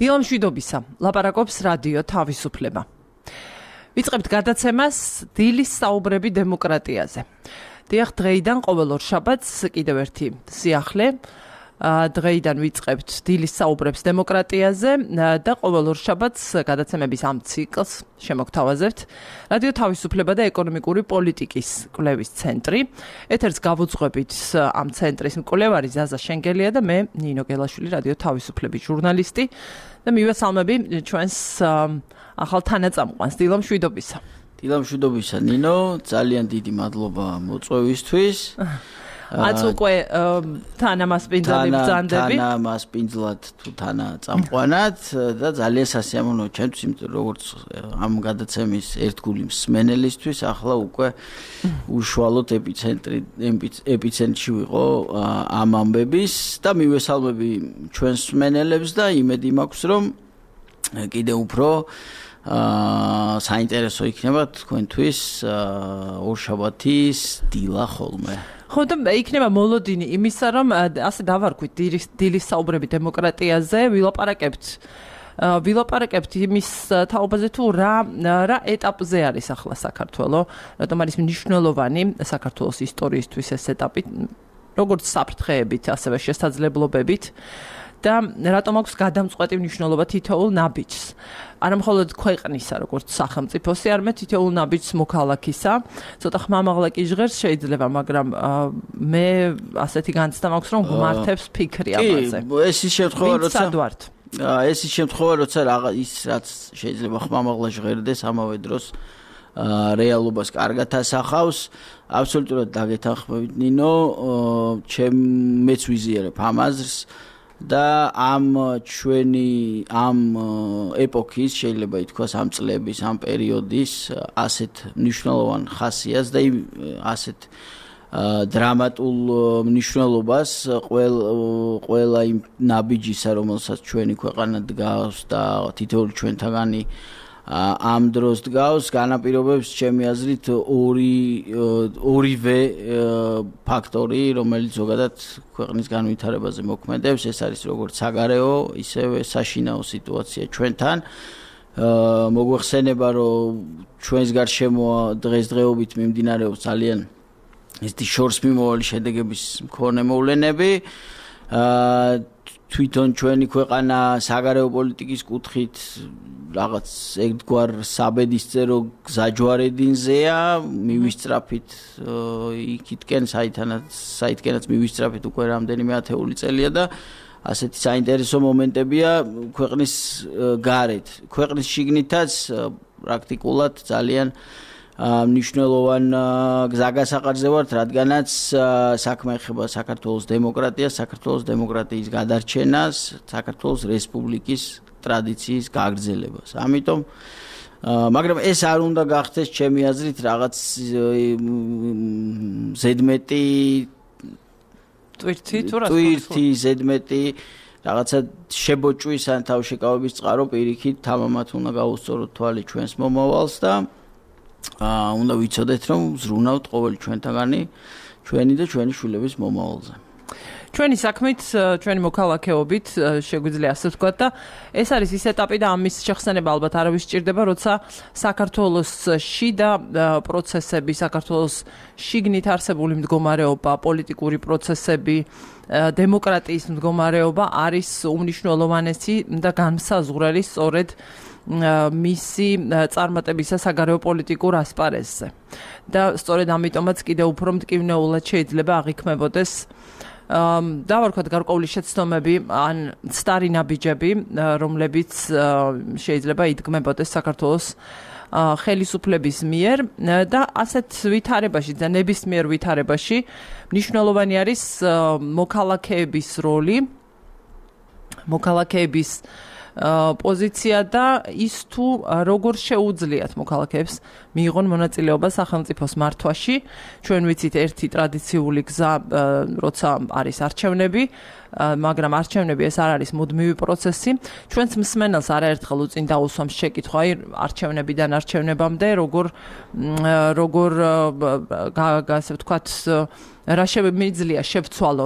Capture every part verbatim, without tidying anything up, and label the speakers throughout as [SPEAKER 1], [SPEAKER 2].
[SPEAKER 1] დილამ შვიდობისა, ლაპარაკობს რადიო თავისუფლება. ვიწყებთ გადაცემას დილის საუბრები დემოკრატიაზე. დიახ, დღეიდან ყოველ ორ შაბათს კიდევ ერთი სიახლე. დღეიდან ვიწყებთ დილის საუბრებს დემოკრატიაზე და ყოველ ორ შაბათს გადაცემების ამ ციკლს შემოგთავაზებთ რადიო თავისუფლება და ეკონომიკური პოლიტიკის კვლევის ცენტრი. ეთერს გავუძღვებით ამ ცენტრის მკვლევარი ზაზა შენგელია და მე ნინო გელაშვილი, რადიო თავისუფლების ჟურნალისტი და მივესალმები ჩვენს ახალ თანაწამყვანს. დილამ შვიდობისა.
[SPEAKER 2] დილამ შვიდობისა ნინო, ძალიან დიდი მადლობა მოწვევისთვის.
[SPEAKER 1] აც უკვე თანამასპინძლად ბრძანდები.
[SPEAKER 2] თანამასპინძლად თუ თანაწამყვანად და ძალიან სასიამოვნოა ჩემთვის, იმიტომ როგორც ამ გადაცემის ერთგული მსმენელისთვის ახლა უკვე უშუალოდ ეპიცენტრი ეპიცენტრში ვიყო ამ ამბების და მივესალმები ჩვენს მსმენელებს და იმედი მაქვს, რომ კიდევ უფრო აა საინტერესო იქნება თქვენთვის ორშაბათის დილა ხოლმე.
[SPEAKER 1] ხო და იქნება მოლოდინი იმისა, რომ ასე დავარქვით დილის საუბრები დემოკრატიაზე, ვილაპარაკებთ ვილაპარაკებთ იმის თაობაზე თუ რა რა ეტაპზე არის ახლა საქართველო, რატომ არის მნიშვნელოვანი საქართველოს ისტორიისთვის ეს ეტაპი, როგორც საფრთხეებით, ასევე შესაძლებლობებით და რატომ აქვს გადამწყვეტი მნიშვნელობა თითოეულ ნაბიჯს. არა მხოლოდ ქვეყნისა, როგორც სახელმწიფოსი, არამედ თითოეულ ნაბიჯს მოქალაქისა. ცოტა ხმამაღლა კი ჟღერს შეიძლება, მაგრამ მე ასეთი განცდა მაქვს, რომ გმართებს ფიქრი ამაზე.
[SPEAKER 2] კი, ეს ის შემთხვევა, როცა
[SPEAKER 1] სადვართ.
[SPEAKER 2] ეს ის შემთხვევა, როცა რაღაც ის რაც შეიძლება ხმამაღლა ჟღერდეს, ამავე დროს რეალობას კარგად ასახავს. აბსოლუტურად დაგეთანხმებით ნინო, ჩემ მეც ვიზიარებ ამ აზრს. და ამ ჩვენი ამ ეპოქის შეიძლება ითქვას ამ წლების ამ პერიოდის ასეთ მნიშვნელოვან ხასიათს და ასეთ დრამატულ მნიშვნელობას ყველა იმ ნაბიჯისა, რომელსაც ჩვენი ქვეყანა დგავს და თითოეული ჩვენთაგანი ამ დროს დგავს, განაპირობებს ჩემი აზრით ორი ორივე ფაქტორი, რომელიც ზოგადად ქვეყნის განვითარებაზე მოქმედებს. ეს არის როგორც საგარეო, ისევე საშინაო სიტუაცია ჩვენთან. მოგვეხსენება, რომ ჩვენს გარშემო დღესდღეობით მიმდინარეობს ძალიან ესეთი შორს მიმავალი შედეგების მქონე მოვლენები. თვითონ ჩვენი ქვეყანა საგარეო პოლიტიკის კუთხით რაღაც ერთგვარ საბედისწერო გზაჯვარედინზეა, მივისწრაფით იქითკენ საითანაც საითკენაც მივისწრაფით უკვე რამდენიმე ათეული წელია და ასეთი საინტერესო მომენტებია ქვეყნის გარეთ. ქვეყნის შიგნითაც პრაქტიკულად ძალიან მნიშვნელოვან გზაგასაყარზე ვართ, რადგანაც საქმე ეხება საქართველოს დემოკრატიას, საქართველოს დემოკრატიის გადარჩენას, საქართველოს რესპუბლიკის ტრადიციის გაგრძელებას. ამიტომ მაგრამ ეს არ უნდა გახდეს ჩემი აზრით რაღაც ზედმეტი
[SPEAKER 1] ტვირთი თუ რა
[SPEAKER 2] ტვირთი ზედმეტი რაღაცა შებოჭვის ან თავშეკავების წყარო პირიქით თამამად უნდა გაუსწოროთ თვალი ჩვენს მომავალს და აა უნდა ვიცოდეთ, რომ ზრუნავთ ყოველი ჩვენთაგანი ჩვენი და ჩვენი შვილების მომავალზე.
[SPEAKER 1] ჩვენი საქმით, ჩვენი მოქალაქეობით შეგვიძლია ასე ვთქვათ და ეს არის ის ეტაპი და ამის შეხსენება ალბათ არავის სჭირდება, როცა საქართველოს შიდა პროცესები, საქართველოს შიგნით არსებული მდგომარეობა, პოლიტიკური პროცესები, დემოკრატიის მდგომარეობა არის უმნიშვნელოვანესი და განმსაზღვრელი სწორედ მისი წარმატებისა საგარეო პოლიტიკურ ასპარეზზე. და სწორედ ამიტომაც კიდევ უფრო მტკივნეულად შეიძლება აღიქმებოდეს დავარქვათ გარკვეული შეცდომები ან ცდარი ნაბიჯები, რომლებიც შეიძლება იდგმებოდეს საქართველოს ხელისუფლების მიერ და ასეთ ვითარებაში და ნებისმიერ ვითარებაში მნიშვნელოვანი არის მოქალაქეების როლი, მოქალაქეების პოზიცია და ის თუ როგორ შეუძლიათ მოქალაქეებს მიიღონ მონაწილეობა სახელმწიფოს მართვაში. ჩვენ ვიცით ერთი ტრადიციული გზა, როცა არის არჩევნები, მაგრამ არჩევნები ეს არ არის მუდმივი პროცესი. ჩვენს მსმენელს არაერთხელ უწინ დაუსვამს შეკითხვა, აი არჩევნებიდან არჩევნებამდე როგორ როგორ ასე ვთქვათ რა შემიძლია შევცვალო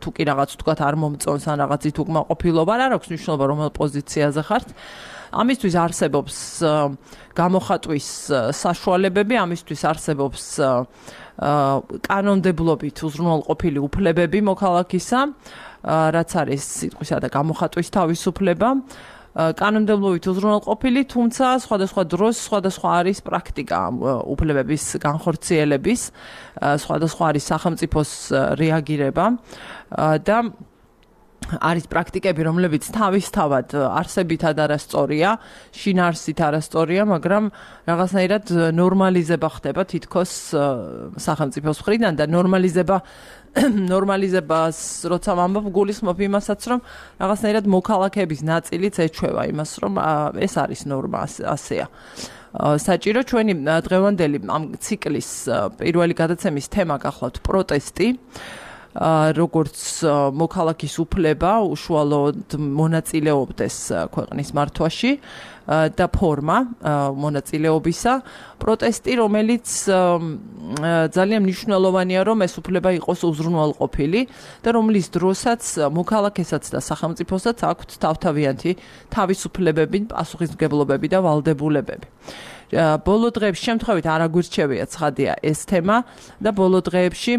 [SPEAKER 1] თუ კი რაღაც თქვათ არ მომწონს ან რაღაცით უკმაყოფილობა, არ აქვს მნიშვნელობა რომელ პოზიციაზე ხართ. ამისთვის არსებობს გამოხატვის საშუალებები, ამისთვის არსებობს კანონმდებლობით უზრუნველყოფილი უფლებები მოქალაქისა, რაც არის სიტყვისა და გამოხატვის თავისუფლება. კანონმდებლობით უზრუნველყოფილი, თუმცა სხვადასხვა დროს სხვადასხვა არის პრაქტიკა უფლებების განხორციელების, სხვადასხვა არის სახელმწიფოს რეაგირება და არის პრაქტიკები, რომლებიც თავისთავად არსებითად არასწორია, შინაარსით არასწორია, მაგრამ რაღაცნაირად ნორმალიზება ხდება თითქოს სახელმწიფოს მხრიდან და ნორმალიზება ნორმალიზებას როცა ვამბობ, გულისხმობ იმასაც, რომ რაღაცნაირად მოქალაქეების ნაწილიც ეჩვევა იმას, რომ ეს არის ნორმა, ასეა. საჭირო ჩვენი დღევანდელი ამ ციკლის პირველი გადაცემის თემა გახლავთ პროტესტი. როგორც მოქალაქის უფლება უშუალოდ მონაწილეობდეს ქვეყნის მართვაში და ფორმა მონაწილეობისა, პროტესტი, რომელიც ძალიან მნიშვნელოვანია, რომ ეს უფლება იყოს უზრუნველყოფილი და რომლის დროსაც მოქალაქესაც და სახელმწიფოსაც აქვთ თავთავიანთი თავისუფლებები, პასუხისმგებლობები და ვალდებულებები. ბოლო დღეებში შემთხვევით არ აგვირჩევია ცხადია ეს თემა და ბოლო დღეებში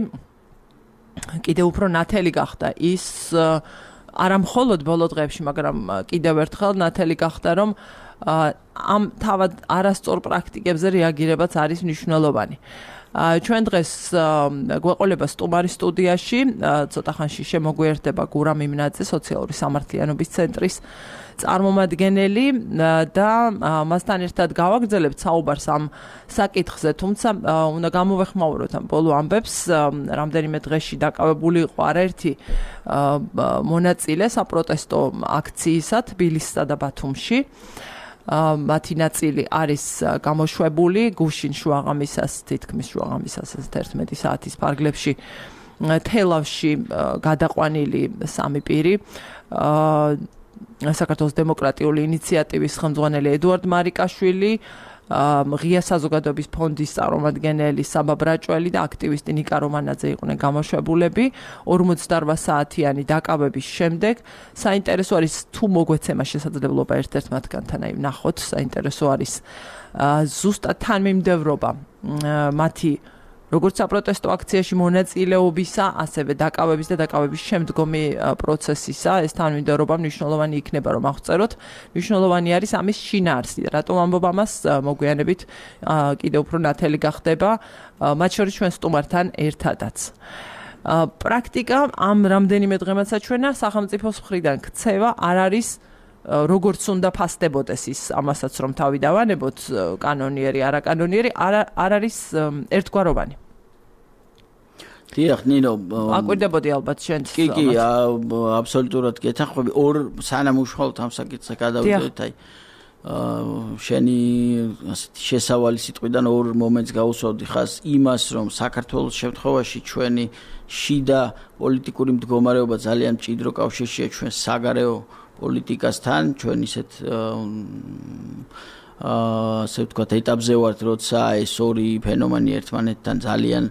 [SPEAKER 1] კიდევ უფრო ნათელი გახდა ის არა მხოლოდ ბოლო დღეებში, მაგრამ კიდევ ერთხელ ნათელი გახდა, რომ ამ თავად არასწორ პრაქტიკებზე რეაგირებაც არის მნიშვნელოვანი. ჩვენ დღეს გვეყოლება სტუმარი სტუდიაში, ცოტა ხანში შემოგვიერთდება გურამ იმნაძე, სოციალური სამართლიანობის ცენტრის წარმომადგენელი და მასთან ერთად გავაგრძელებთ საუბარს ამ საკითხზე, თუმცა უნდა გამოვეხმაუროთ ამ ბოლო ამბებს, რამდენიმე დღეში დაკავებული იყო არაერთი მონაწილე საპროტესტო აქციისა თბილისსა და ბათუმში. მათი ნაწილი არის გამოშვებული გუშინ შუაღამისას, თითქმის შუაღამისას ერთმეტი საათის ფარგლებში თელავში გადაყვანილი სამი პირი. საქართველოს დემოკრატიული ინიციატივის ხელმძღვანელი ედუარდ მარიკაშვილი, ღია საზოგადოების ფონდის წარმომადგენელი საბა ბრაჭველი და აქტივისტი ნიკა რომანაძე იყვნენ გამოშვებულები ორმოცდაორ საათიანი დაკავების შემდეგ. საინტერესო არის თუ მოგვეცემა შესაძლებლობა ერთ-ერთ მათგანთან აი ვნახოთ, საინტერესო არის ზუსტად თანმიმდევრობა მათი როგორც საპროტესტო აქციაში მონაწილეობისა, ასევე დაკავების და დაკავების შემდგომი პროცესისა, ეს თანმიმდევრობა მნიშვნელოვანი იქნება, რომ აღწეროთ. მნიშვნელოვანი არის ამის შინაარსი. რატომ ამბობ ამას, მოგვიანებით კიდევ უფრო ნათელი გახდება, მათ შორის ჩვენ სტუმართან ერთადაც. პრაქტიკა ამ რამდენიმე დღემდე საჩვენა სახელმწიფოს მხრიდან ქცევა არ არის როგორც უნდა ფასდებოდეს ის ამასაც რომ თავი დავანებოთ კანონიერი, არაკანონიერი, არ არის ერთგვაროვანი.
[SPEAKER 2] დიახ, ნინო,
[SPEAKER 1] აკვირდებოდი ალბათ შენ.
[SPEAKER 2] კი, კი, აბსოლუტურად გეთანხმები. ორ სანამ უშუალოდ ამ საკითხზე გადავიდეთ, აი შენი ასეთი შესავალი სიტყვიდან ორ მომენტს გაუსვავდი ხას იმას, რომ საქართველოს შემთხვევაში ჩვენი შიდა პოლიტიკური მდგომარეობა ძალიან მჭიდრო კავშირშია ჩვენ საგარეო პოლიტიკასთან, ჩვენ ისეთ ასე ვთქვათ ეტაპზე ვართ, როცა ეს ორი ფენომენი ერთმანეთთან ძალიან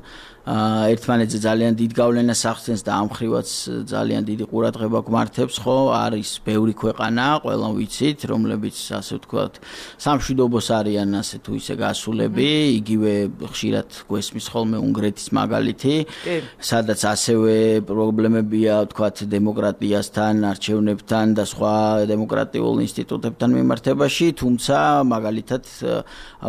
[SPEAKER 2] ერთმანეთზე ძალიან დიდ გავლენას ახდენს და ამ ხრივაც ძალიან დიდი ყურადღება გვმართებს, ხო, არის ბევრი ქვეყანა, ყველამ ვიცით, რომლებიც ასე ვთქვათ სამშვიდობოს არიან ასე თუ ისე გასულები, იგივე ხშირად გვესმის ხოლმე უნგრეთის მაგალითი, სადაც ასევე პრობლემებია ვთქვათ დემოკრატიასთან, არჩევნებთან და სხვა დემოკრატიულ ინსტიტუტებთან მიმართებაში, თუმცა მაგალითად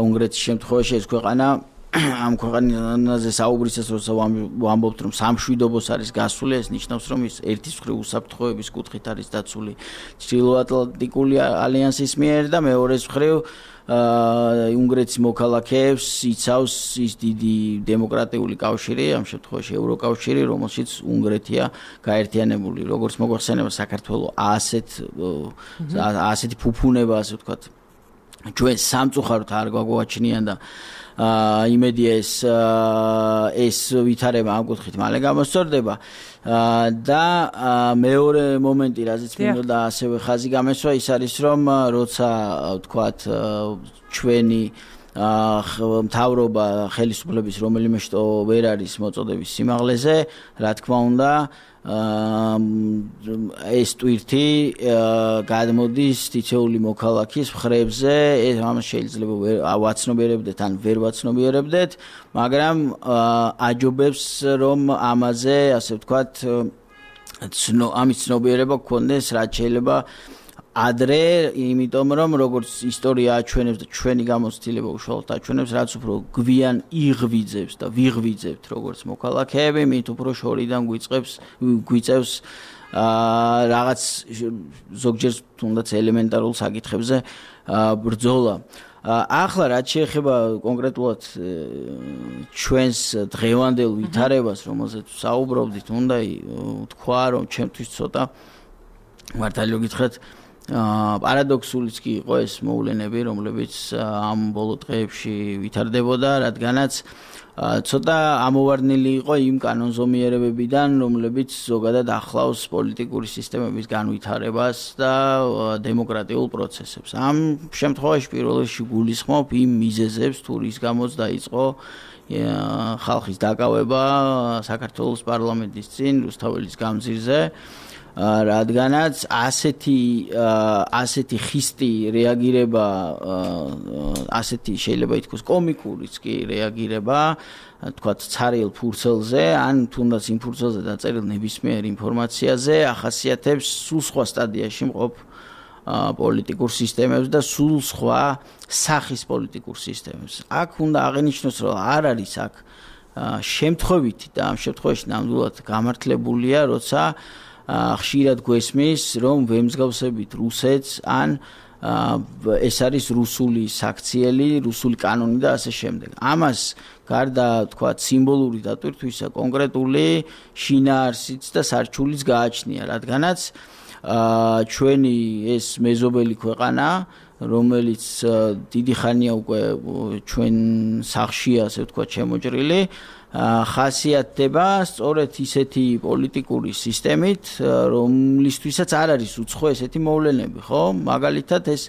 [SPEAKER 2] უნგრეთის შემთხვევაში ეს ქვეყანა ამ ქვეყანაზე საუბრისას როცა ვამბობთ რომ სამშვიდობოს არის გასული, ეს ნიშნავს რომ ის ერთის მხრივ უსაფრთხოების კუთხით არის დაცული ჩრდილოატლანტიკური ალიანსის მიერ და მეორეს მხრივ უნგრეთის მოქალაქეებს იცავს ის დიდი დემოკრატიული კავშირი, ამ შემთხვევაში ევროკავშირი, რომელშიც უნგრეთია გაერთიანებული. როგორც მოგვახსენება საქართველოს ასეთ ასეთი ფუფუნება, ასე ვთქვათ, ჩვენ სამწუხაროდ არ გვაგვაჩნიან და აა იმედია ეს ეს ვითარება ამ კუთხით მალე გამოსწორდება და მეორე მომენტი, რაზეც მინდოდა ასევე ხაზი გამესვა, ის არის რომ როცა ვთქვათ ჩვენი მთავრობა ხელისუფლების რომელიმე შტო ვერ არის მოწოდების სიმაღლეზე, რა თქმა უნდა, ეს ტვირთი გადმოდის თითოეული მოქალაქის მხრებზე, ეს ამას შეიძლება ვაცნობიერებდეთ ან ვერ ვაცნობიერებდეთ, მაგრამ აჯობებს რომ ამაზე, ასე ვთქვათ, ამის ცნობიერება გქონდეს, რაც შეიძლება ადრე, იმიტომ რომ როგორც ისტორია აჩვენებს და ჩვენი გამოცდილება უშუალოდ აჩვენებს, რაც უფრო გვიან იღვიძებს და ვიღვიძებთ როგორც მოქალაქეები, მით უფრო შორიდან გვიწყებს გვიწევს რაღაც ზოგჯერ თუნდაც ელემენტარულ საკითხებზე ბრძოლა. ახლა რაც შეეხება კონკრეტულად ჩვენს დღევანდელ ვითარებას, რომელზეც საუბრობდით, უნდა თქვა, რომ ჩემთვის ცოტა მართალია გითხრათ პარადოქსულიც კი იყო ეს მოვლენები, რომლებიც ამ ბოლო დღეებში ვითარდებოდა, რადგანაც ცოტა ამოვარდნილი იყო იმ კანონზომიერებებიდან, რომლებიც ზოგადად ახლავს პოლიტიკური სისტემების განვითარებას და დემოკრატიულ პროცესებს. ამ შემთხვევაში პირველ რიგში გულისხმობ იმ მიზეზებს, თუ რის გამოც დაიწყო ხალხის დაკავება საქართველოს პარლამენტის წინ რუსთაველის გამზირზე. რადგანაც ასეთი ასეთი ხისტი რეაგირება ასეთი შეიძლება ითქვას კომიკურიც კი რეაგირება თქვათ ცარიელ ფურცელზე ან თუნდაც იმ ფურცელზე დაწერილ ნებისმიერ ინფორმაციაზე ახასიათებს სულ სხვა სტადიაში მყოფ პოლიტიკურ სისტემებს და სულ სხვა სახის პოლიტიკურ სისტემებს. აქ უნდა აღინიშნოს, რომ არ არის აქ შემთხვევითი და ამ შემთხვევაში ნამდვილად გამართლებულია, როცა ხშირად გვესმის, რომ ვემსგავსებით რუსეთს ან ეს არის რუსული საქციელი, რუსული კანონი და ასე შემდეგ. ამას გარდა თქვა სიმბოლური დატვირთვისა კონკრეტული შინაარსიც და სარჩულიც გააჩნია, რადგანაც ჩვენი ეს მეზობელი ქვეყანა, რომელიც დიდი ხანია უკვე ჩვენ სახლშია, ასე ვთქვათ, შემოჭრილი, ხასიათდება სწორედ ისეთი პოლიტიკური სისტემით, რომლისთვისაც არ არის უცხო ესეთი მოვლენები, ხო? მაგალითად ეს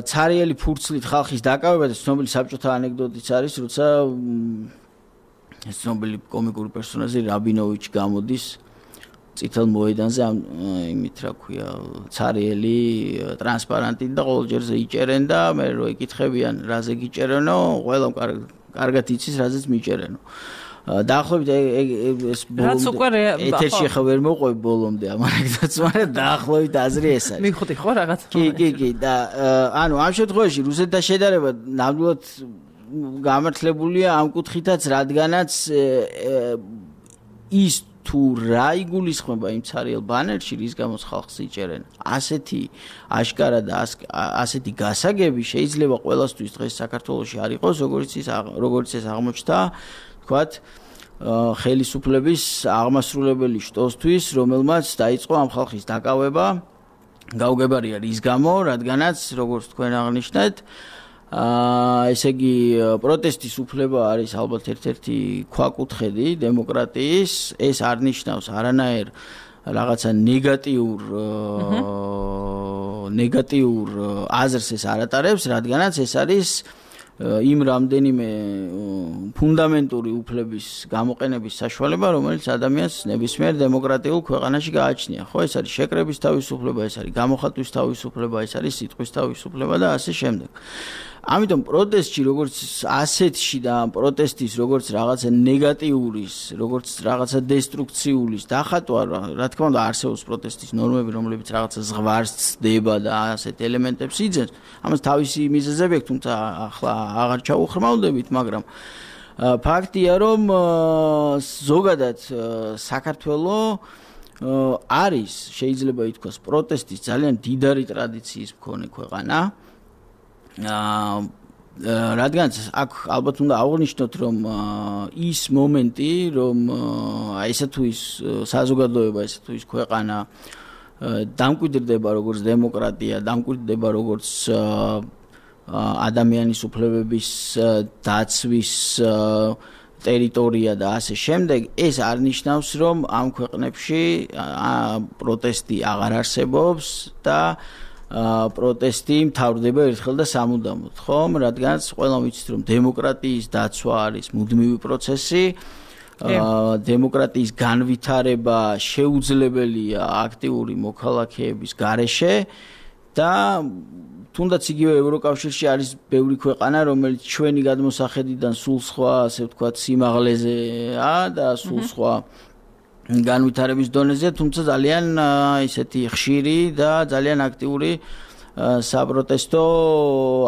[SPEAKER 2] ცარიელი ფურცლით ხალხის დაკავება და ცნობილი საბჭოთა ანეკდოტიც არის, როცა ეს ცნობილი კომიკური პერსონაჟი რაბინოვიჩი გამოდის წითელ მოედანზე ამ იმით რა ქვია ცარიელი ტრანსპარანტით და ყოველჯერზე იჭერენ და მე რო ეკითხებიან რაზე გიჭერენო, ყველამ კარგად იცის რაზეც მიჭერენო. დაახლოებით ეს ბოლომდე ეთერში ხა ვერ მოყვები ბოლომდე ამ ანეკდოტს, მაგრამ დაახლოებით აზრი ეს არის.
[SPEAKER 1] მიხუთი ხო რაღაც?
[SPEAKER 2] კი, კი, კი და ანუ ამ შემთხვევაში რუსეთთან შედარება ნამდვილად გამართლებულია ამ კუთხითაც, რადგანაც ის თუ რა იგულისხმება იმ ცარიელ ბანერში, რის გამოც ხალხს იჭერენ, ასეთი აშკარა და ასეთი გასაგები შეიძლება ყველასთვის დღეს საქართველოში არ იყოს, როგორც ის როგორც ეს აღმოჩნდა, თქვათ, ხელისუფლების აღმასრულებელი შტოსთვის, რომელმაც დაიწყო ამ ხალხის დაკავება, გაუგებარია რის გამო, რადგანაც როგორც თქვენ აღნიშნეთ, აა ესე იგი პროტესტის უფლება არის ალბათ ერთ-ერთი ქვაკუთხედი დემოკრატიის, ეს არ ნიშნავს არანაირ რაღაცა ნეგატიურ ნეგატიურ აზრს ეს არ ატარებს, რადგანაც ეს არის იმ რამდენიმე ფუნდამენტური უფლების გამოყენების საშუალება, რომელიც ადამიანს ნებისმიერ დემოკრატიულ ქვეყანაში გააჩნია, ხო? ეს არის შეკრების თავისუფლება, ეს არის გამოხატვის თავისუფლება, ეს არის სიტყვის თავისუფლება და ასე შემდეგ. ამიტომ პროტესტში, როგორც ასეთში და პროტესტის, როგორც რაღაცა ნეგატიურის, როგორც რაღაცა დესტრუქციულის დახატვა, რა თქმა უნდა, არსებობს პროტესტის ნორმები, რომლებიც რაღაცა ზღვარს ცდება და ასეთ ელემენტებს იძენს. ამას თავისი მიზეზები აქვს, თუმცა ახლა აღარ ჩაუხრმავდებით, მაგრამ ფაქტია, რომ ზოგადად საქართველო არის, შეიძლება ითქვას, პროტესტის ძალიან დიდარი ტრადიციის მქონე ქვეყანა. რადგანაც აქ ალბათ უნდა აღვნიშნოთ, რომ ის მომენტი, რომ ესა თუ ის საზოგადოება, ესა თუ ის ქვეყანა დამკვიდრდება როგორც დემოკრატია, დამკვიდრდება როგორც ადამიანის უფლებების დაცვის ტერიტორია და ასე შემდეგ, ეს არ ნიშნავს, რომ ამ ქვეყნებში პროტესტი აღარ არსებობს და პროტესტი მთავრდება ერთხელ და სამუდამოდ, ხომ? რადგანაც ყველამ ვიცით, რომ დემოკრატიის დაცვა არის მუდმივი პროცესი. დემოკრატიის განვითარება შეუძლებელია აქტიური მოქალაქეების გარეშე და თუნდაც იგივე ევროკავშირში არის ბევრი ქვეყანა, რომელიც ჩვენი გადმოსახედიდან სულ სხვა, ასე ვთქვათ, სიმაღლეზეა და სულ სხვა განვითარების დონეზე, თუმცა ძალიან ისეთი ხშირი და ძალიან აქტიური საპროტესტო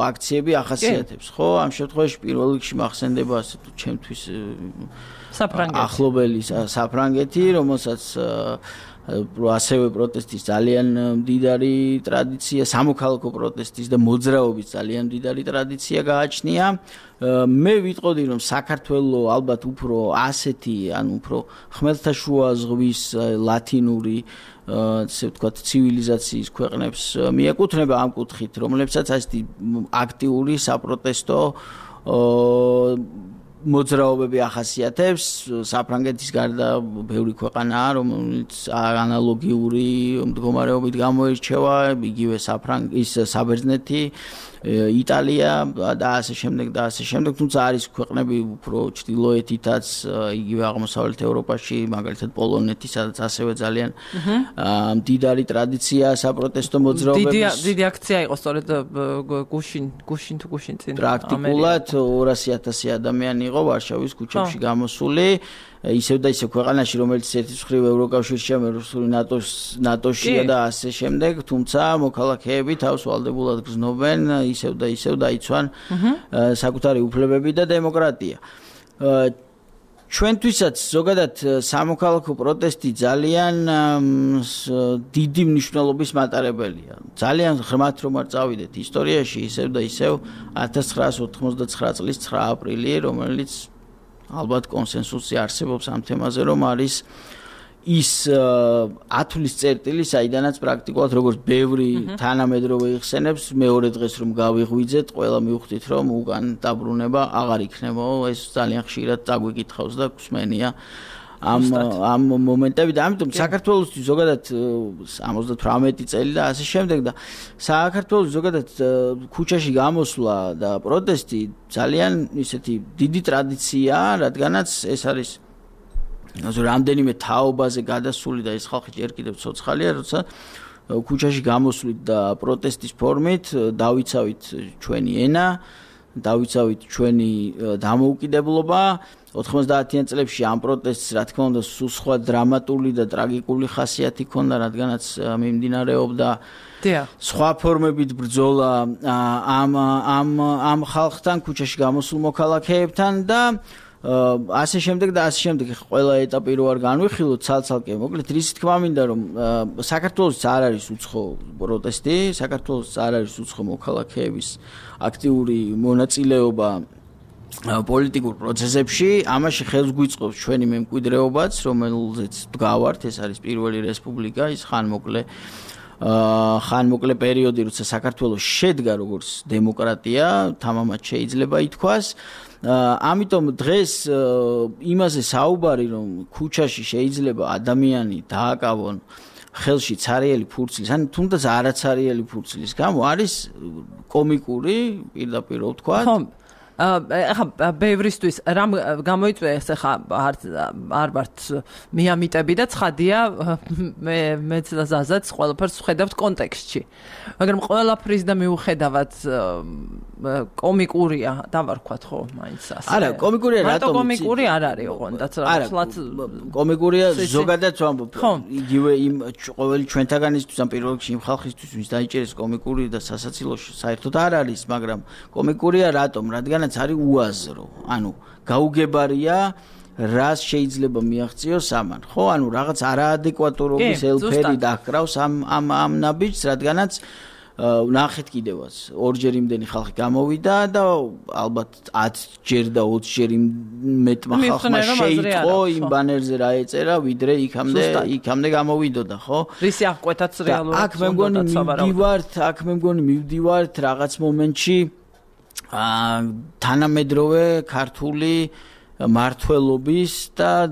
[SPEAKER 2] აქციები ახასიათებს, ხო? ამ შემთხვევაში პირველ რიგში მახსენდება ასე თუ ჩემთვის
[SPEAKER 1] საფრანგეთი.
[SPEAKER 2] ახლობელი საფრანგეთი, რომელსაც ასევე პროტესტის ძალიან მდიდარი ტრადიცია, სამოქალაქო პროტესტის და მოძრაობის ძალიან მდიდარი ტრადიცია გააჩნია. მე ვიტყოდი, რომ საქართველოს ალბათ უფრო ასეთი, ანუ უფრო ხმელთაშუა ზღვის ლათინური, ასე ვთქვათ, ცივილიზაციის ქვეყნებს მიეკუთვნება ამ კუთხით, რომლებსაც ასეთი აქტიური საპროტესტო მოძრაობები ახასიათებს. საფრანგეთის გარდა ბევრი ქვეყანაა, რომელიც ანალოგიური მდგომარეობით გამოირჩევა, იგივე საფრანგეთის, საბერძნეთი, იტალია და ასე შემდეგ და ასე შემდეგ, თუმცა არის ქვეყნები უფრო ჩრდილოეთითაც, იგივე აღმოსავლეთ ევროპაში, მაგალითად პოლონეთი, სადაც ასევე ძალიან მდიდარი ტრადიცია საპროტესტო მოძრაობების.
[SPEAKER 1] დიდი აქცია იყო სწორედ გუშინ, გუშინ თუ გუშინ წინ.
[SPEAKER 2] პრაქტიკულად ორასი ათასი ადამიანი იყო ვარშავის ქუჩებში გამოსული. ისევ და ისევ ქვეყანაში, რომელიც ერთის მხრივ ევროკავშირშია, მეროსული ნატოს ნატოშია და ასე შემდეგ, თუმცა მოქალაქეები თავს ვალდებულად გრძნობენ, ისევ და ისევ დაიცვან საკუთარი უფლებები და დემოკრატია. ჩვენთვისაც ზოგადად სამოქალაქო პროტესტი ძალიან დიდი მნიშვნელობის მატარებელია. ძალიან ღრმად რომ არ წავიდეთ ისტორიაში, ისევ და ისევ ათას ცხრაას ოთხმოცდაცხრა წლის ცხრა აპრილი, რომელიც ალბათ კონსენსუსი არსებობს ამ თემაზე, რომ არის ის ათვლის წერტილი, საიდანაც პრაქტიკულად როგორც ბევრი თანამედროვე იხსენებს, მეორე დღეს რომ გავიღვიძეთ, ყველა მივხვდით, რომ უკან დაბრუნება აღარ იქნება. ეს ძალიან ხშირად წაგვიკითხავს და გვსმენია ამ ამ მომენტები და ამიტომ საქართველოსთვის ზოგადად ორმოცდათვრამეტი წელი და ასე შემდეგ და საქართველოს ზოგადად ქუჩაში გამოსვლა და პროტესტი ძალიან ისეთი დიდი ტრადიციაა, რადგანაც ეს არის რამდენიმე თაობაზე გადასული და ეს ხალხი ჯერ კიდევ ცოცხალია, როცა ქუჩაში გამოსვლით და პროტესტის ფორმით დავიცავით ჩვენი ენა, დავიცავით ჩვენი დამოუკიდებლობა. ოთხმოცდაათიან წლებში ამ პროტესტს, რა თქმა უნდა, სულ სხვა დრამატული და ტრაგიკული ხასიათი ჰქონდა, რადგანაც მიმდინარეობდა სხვა ფორმებით ბრძოლა ამ ამ ამ ხალხთან, ქუჩაში გამოსულ მოქალაქეებთან და ასე შემდეგ და ასე შემდეგ. ყველა ეტაპი რო არ განვიხილოთ ცალ-ცალკე, მოკლედ რის თქმა მინდა, რომ საქართველოს არ არის უცხო პროტესტი, საქართველოს არ არის უცხო მოქალაქეების აქტიური მონაწილეობა პოლიტიკურ პროცესებში, ამაში ხელს გვიწყობს ჩვენი მემკვიდრეობაც, რომელზეც ვდგავართ, ეს არის პირველი რესპუბლიკა, ის ხანმოკლე ხანმოკლე პერიოდი, როცა საქართველოს შედგა როგორც დემოკრატია, თამამად შეიძლება ითქვას. ამიტომ დღეს იმაზე საუბარი, რომ ქუჩაში შეიძლება ადამიანი დააკავონ ხელში ცარიელი ფურცლის, ან თუნდაც არაცარიელი ფურცლის გამო, არის კომიკური, პირდაპირ ვთქვათ.
[SPEAKER 1] ხო, ახლა ბევრისთვის რამ გამოიწვია ახლა არ არ ვართ მიამიტები და ცხადია მე მეც და ზაზაც ყველაფერს ვხედავთ კონტექსტში. მაგრამ ყველაფრის და მიუხედავად კომიკურია, დავარქვათ ხო, მაინც ასე.
[SPEAKER 2] არა, კომიკურია რატომ?
[SPEAKER 1] რატო კომიკური არ არის ოღონდაც
[SPEAKER 2] ახლა კომიკურია ზოგადად ვამბობ. იგივე იმ ყოველი ჩვენთაგანისთვის ან პირველ რიგში იმ ხალხისთვის, ვინც დაიჭერეს კომიკური და სასაცილოში საერთოდ არ არის, მაგრამ კომიკურია რატომ? რადგან არის უაზრო, ანუ გაუგებარია რას შეიძლება მიაღწიოს ამან, ხო? ანუ რაღაც არაადეკვატურობის ელფერი დაკრავს ამ ამ ამ ნაბიჯს, რადგანაც ნახეთ კიდევაც ორჯერ იმდენი ხალხი გამოვიდა და ალბათ ათჯერ და ოცჯერ მეტმა ხალხმა შეიტყო იმ ბანერზე რა ეწერა, ვიდრე იქამდე იქამდე გამოვიდოდა, ხო?
[SPEAKER 1] რისი აღკვეთაც რეალურად
[SPEAKER 2] აქ მე მგონი მივდივართ, აქ მე მგონი მივდივართ რაღაც მომენტში თანამედროვე ქართული მართლობის და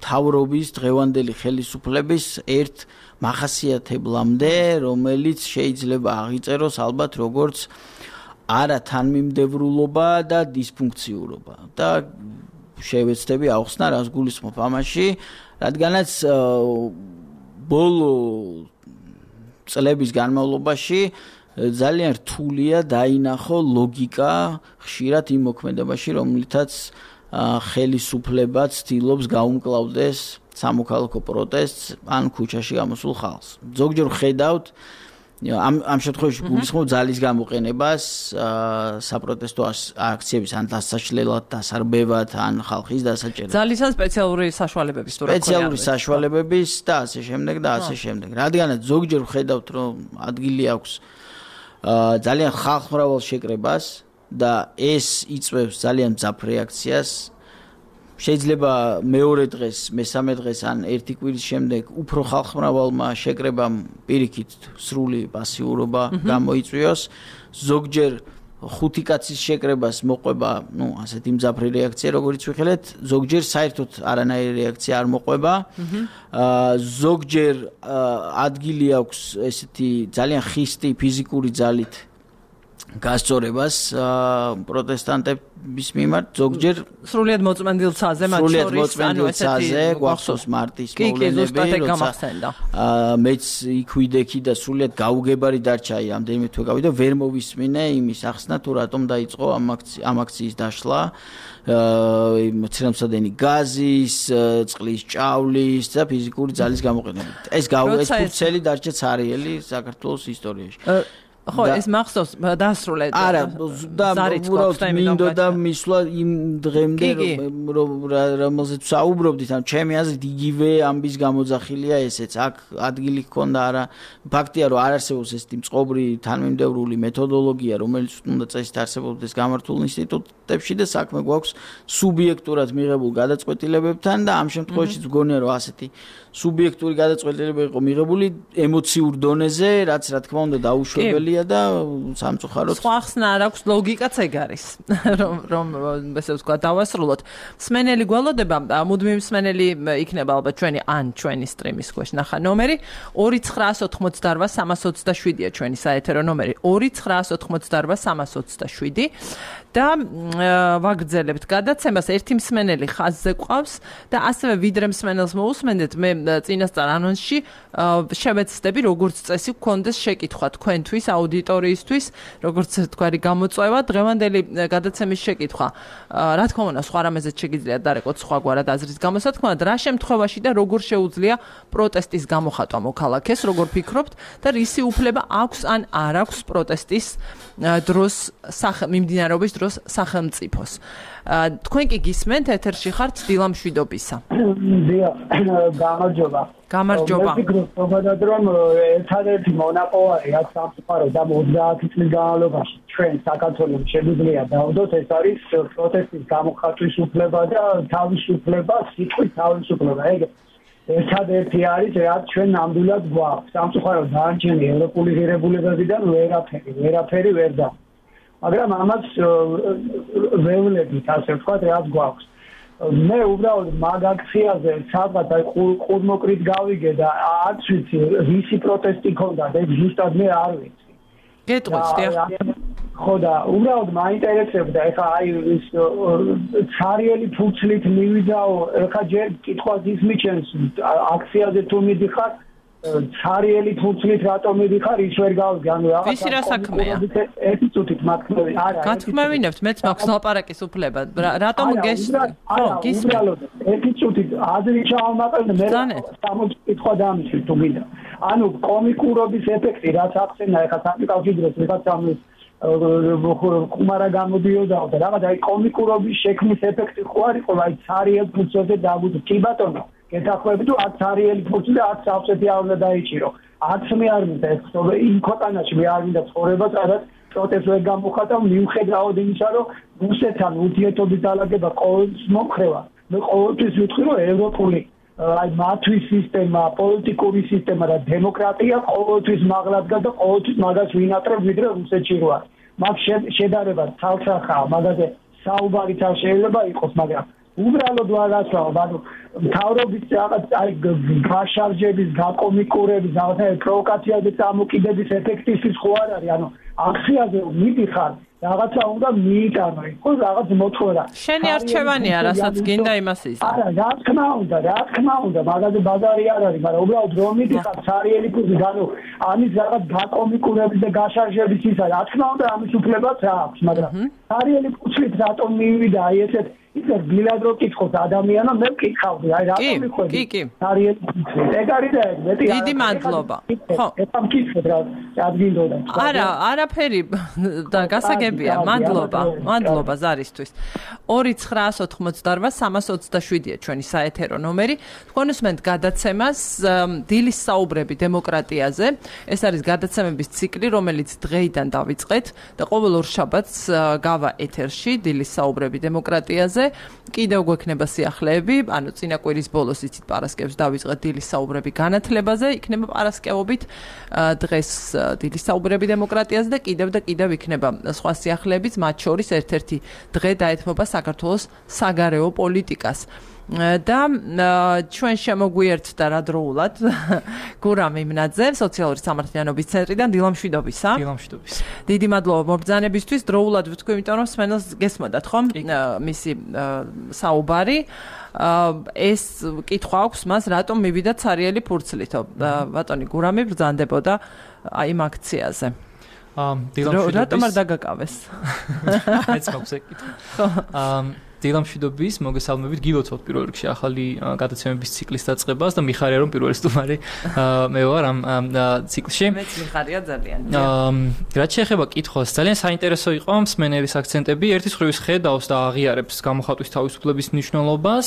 [SPEAKER 2] თავრობის დღევანდელი ხელისუფლების ერთ მახასიათებლამდე, რომელიც შეიძლება აღიწეროს ალბათ როგორც არა თანმიმდევრულობა და დისფუნქციურობა. და შევეცდები ახსნა რას გულისხმობ ამაში, რადგანაც ბოლო წლების განმავლობაში ძალიან რთულია დაინახო ლოგიკა ხშირად იმ მოქმედებაში, რომლითაც ხელისუფლება ცდილობს გაუმკლავდეს სამოქალაქო პროტესტს ან ქუჩაში გამოსულ ხალხს. ზოგჯერ ხედავთ ამ ამ შემთხვევაში გულისხმობ ძალის გამოყენებას საპროტესტო აქციების ან დასაშლელად, დასარბევად, ან ხალხის დასაჭერად.
[SPEAKER 1] ძალისა სპეციალური საშუალებების თუ რა ქვია.
[SPEAKER 2] სპეციალური საშუალებების და ასე შემდეგ და ასე შემდეგ. რადგანაც ზოგჯერ ხედავთ, რომ ადგილი აქვს ძალიან ხალხმრავალ შეკრებას და ეს იწვევს ძალიან მძაფ რეაქციას. შეიძლება მეორე დღეს, მესამე დღეს ან ერთი კვირის შემდეგ უფრო ხალხმრავალმა შეკრებამ პირიქით სრული პასიურობა გამოიწვიოს. ზოგჯერ ხუთი კაცის შეკრებას მოყვება, ну, ასეთი მძაფრი რეაქცია, როგორც ვიხილეთ, ზოგჯერ საერთოდ არანაირი რეაქცია არ მოყვება. ზოგჯერ ადგილი აქვს ესეთი ძალიან ხისტი ფიზიკური ძალით გასწორებას პროტესტანტების მიმართ, ზოგჯერ
[SPEAKER 1] სრულიად მოწმენდილ ცაზე, მათ შორის, ანუ ესეთი
[SPEAKER 2] გვახსოვს მარტის მოვლენები,
[SPEAKER 1] როცა
[SPEAKER 2] მეც იქ ვიდექი და სრულიად გაუგებარი დარჩა ამდენიმე თვე გავიდა, ვერ მოვისმინე იმის ახსნა თუ რატომ დაიწყო ამ აქციის დაშლა, მცირემსადენი გაზის, წყლის ჭავლის და ფიზიკური ძალის გამოყენებით. ეს ეს ფურცელი დარჩა ცარიელი საქართველოს ისტორიაში.
[SPEAKER 1] ხო, ეს მახსოვს დაასრულეთ.
[SPEAKER 2] არა, და უბრალოდ მინდოდა მისვლა იმ დღემდე, რომელზეც საუბრობდით, ან ჩემი აზრით იგივე ამბის გამოძახილია ესეც. აქ ადგილი ჰქონდა არა. ფაქტია, რომ არ არსებობს ესეთი მწყობრი თანმიმდევრული მეთოდოლოგია, რომელიც უნდა წესით არსებობდეს გამართულ ინსტიტუტებში და საქმე გვაქვს სუბიექტურად მიღებულ გადაწყვეტილებებთან და ამ შემთხვევაშიც მგონია, რომ ასეთი სუბიექტური გადაწყვეტილება იყო მიღებული ემოციურ დონეზე, რაც რა თქმა უნდა დაუშვებელია და სამწუხაროდ
[SPEAKER 1] სხვა ხსნა არ აქვს, ლოგიკაც ეგ არის, რომ რომ ესე ვთქვა დავასრულოთ. მსმენელი გველოდება, მუდმივი მსმენელი იქნება ალბათ ჩვენი ან ჩვენი სტრიმის ქვეშ ნახა ნომერი ორი ცხრაას ოთხმოცდაორვა სამას ოცდაშვიდია ჩვენი საეთერო ნომერი ორი ცხრაას ოთხმოცდაორვა სამას ოცდაშვიდი და ვაგრძელებთ გადაცემას. ერთი მსმენელი ხაზზე ყავს და ასევე ვიდრე მსმენელს მოусმენდეთ, მე წინასწარ ანონსში შევეცდები როგორც წესი გქონდეს შეკითხვა თქვენთვის, აუდიტორიისთვის, როგორც თქვარი გამოწვევა, დღევანდელი გადაცემის შეკითხვა. რა თქმა უნდა, სხვა რამეზეც შეგიძლიათ დარეკოთ სხვაგვარად აზრის გამოსათქმად, რა შემთხვევაში და როგორ შეუძლია პროტესტის გამოხატვა მოქალაქეს, როგორ ფიქრობთ და რისი უფლება აქვს ან არ აქვს პროტესტის დროს მიმდინარეობის დროს სახელმწიფოს. თქვენ კი გისმენთ, ეთერში ხართ დილამშვიდობისა.
[SPEAKER 3] დიახ, გამარჯობა.
[SPEAKER 1] გამარჯობა.
[SPEAKER 3] მე ვფიქრობ, რომ ერთადერთი მონაპოვარი აქ სამწუხაროდ ამ ოცდაათი წლის განმავლობაში ჩვენ საქართველოს შეგვიძლია დავდოთ, ეს არის პროტესტის გამოხატვის უფლება და თავისუფლება, სიტყვის თავისუფლება. ეგ ერთადერთი არის, რაც ჩვენ ნამდვილად გვაქვს. სამწუხაროდ დანარჩენი ევროპული ღირებულებებიდან ვერაფერი, ვერაფერი ვერ დაქვს. მაგრამ ამას ვევლებით, ასე ვთქვათ, რაც გვაქვს. მე უბრალოდ მაგ აქციაზე სადღაც აი ყურმოკრით გავიგე და არც ვიცი რისი პროტესტი ქონდა და ზუსტად მე არ ვიცი.
[SPEAKER 1] გეტყვით, დიახ.
[SPEAKER 3] ხო და უბრალოდ მაინტერესებდა ეხა აი ის ცარიელი ფურცლით მივიდაო, ეხა ჯერ კითხვას ის მიჩენს აქციაზე თუ მიდიხარ ცარიელი ფურცლით რატომ მიდიხარ, ის ვერ გავიგე, ანუ
[SPEAKER 1] რაღაცა ვისი რა საქმეა?
[SPEAKER 3] ერთი წუთით მათქმევი, არა.
[SPEAKER 1] გათქმევინებთ, მეც მაქვს ლაპარაკის უფლება. რატომ გეს
[SPEAKER 3] ხო, გისმენთ. ერთი წუთით აზრი ჩავამაყენე, მე სამოცი კითხვა დამიშვი თუ გინდა. ანუ კომიკურობის ეფექტი, რაც ახსენა ეხა საკავშიროს ვიღაცამ ხუმარა გამოდიოდა და რაღაც აი კომიკურობის შექმნის ეფექტი ხო არ იყო, აი ცარიელ ფურცლზე დაგვიწ კი ბატონო. გეთახვები თუ აქ ცარიელი ფურცლი და აქ სავსეთი არ უნდა დაიჭირო. აქ მე არ მინდა ეს იმ ქვეყანაში მე არ მინდა ცხოვრება, სადაც პროტესტს ვერ გამოხატავ, მიუხედავად იმისა, რომ რუსეთთან ურთიერთობის დალაგება ყოველთვის მომხრევა. მე ყოველთვის ვიტყვი, რომ ევროპული აი მათთვის სისტემა, პოლიტიკური სისტემა და დემოკრატია ყოველთვის მაღლად და ყოველთვის მაგას ვინატრებ ვიდრე რუსეთში როარ. მაგ შედარება ცალსახაა, მაგაზე საუბარიც არ შეიძლება იყოს, მაგრამ უბრალოდ ვარასწავ, ანუ მთავრობის რაღაც აი გაშარჟების, გაკომიკურების, რაღაცა პროვოკაციაზე წამოკიდების ეფექტისთვის ხო არ არის, ანუ აქციაზე მიდიხარ რაღაცა უნდა მიიტანო, იყო რაღაც მოთხოვნა.
[SPEAKER 1] შენი არჩევანია, რასაც გინდა იმას იზრდა.
[SPEAKER 3] არა, რა თქმა უნდა, რა თქმა უნდა, მაგაზე ბაზარი არ არის, მაგრამ უბრალოდ რომ მიდიხარ ცარიელი პუზი, ანუ ამის რაღაც გაკომიკურების და გაშარჟების ისა, რა თქმა უნდა, ამის უფლებაც აქვს, მაგრამ ცარიელი პუზით რატომ მივიდა აი ესეთ ისე გილად რო კითხოთ ადამიანო, მე ვკითხავდი, აი რატომ მიხვედი?
[SPEAKER 1] კი, კი.
[SPEAKER 3] ცარიელი პუზით. ეგ არის და ეგ, მეტი
[SPEAKER 1] დიდი მადლობა. ხო.
[SPEAKER 3] ეხლა მკითხეთ რა, ადგილდოდა.
[SPEAKER 1] არა, არაფერი და გასაგებია. მადლობა. მადლობა ზარისთვის. ორი ცხრაას ოთხმოცდაორვა სამას ოცდაშვიდია ჩვენი საეთერო ნომერი. თქვენ უსმენთ გადაცემას დილის საუბრები დემოკრატიაზე. ეს არის გადაცემების ციკლი, რომელიც დღეიდან დავიწყეთ და ყოველ ორ შაბათს გავა ეთერში დილის საუბრები დემოკრატიაზე. კიდევ გვექნება სიახლეები, ანუ წინა კვირის ბოლოს იცით პარასკევს დავიწყეთ დილის საუბრები განათლებაზე, იქნება პარასკევობით დღეს დილის საუბრები დემოკრატიაზე და კიდევ და კიდევ იქნება სხვა სიახლეებიც, მათ შორის ერთ-ერთი დღე დაეთმობა საქართველოს საგარეო პოლიტიკას. და ჩვენ შემოგვიერთდა რადროულად გურამ იმნაძე, სოციალური სამართლიანობის ცენტრიდან, დილამშვიდობისა.
[SPEAKER 4] დილამშვიდობის.
[SPEAKER 1] დიდი მადლობა მობრძანებისთვის. დროულად ვთქვი, იმიტომ რომ სმენელს გესმოდათ ხომ? მისი საუბარი. ეს კითხვა აქვს მას, რატომ მივიდა ცარიელი ფურცლითო? ბატონი გურამი ბრძანდებოდა აი იმ აქციაზე.
[SPEAKER 4] დილამშვიდობის.
[SPEAKER 1] რატომ არ დაგაკავეს?
[SPEAKER 4] ეს მაქვს ეკითხვა. დილამშვიდობის მოგესალმებით, გილოცავთ პირველ რიგში ახალი გადაცემების ციკლის დაწყებას და მიხარია რომ პირველი სტუმარი მე ვარ ამ ციკლში.
[SPEAKER 1] მეც მიხარია ძალიან.
[SPEAKER 4] რაც შეეხება კითხვას, ძალიან საინტერესო იყო მსმენელის აქცენტები. ერთის ხრივ ხედავს და აღიარებს გამოხატვის თავისუფლების მნიშვნელობას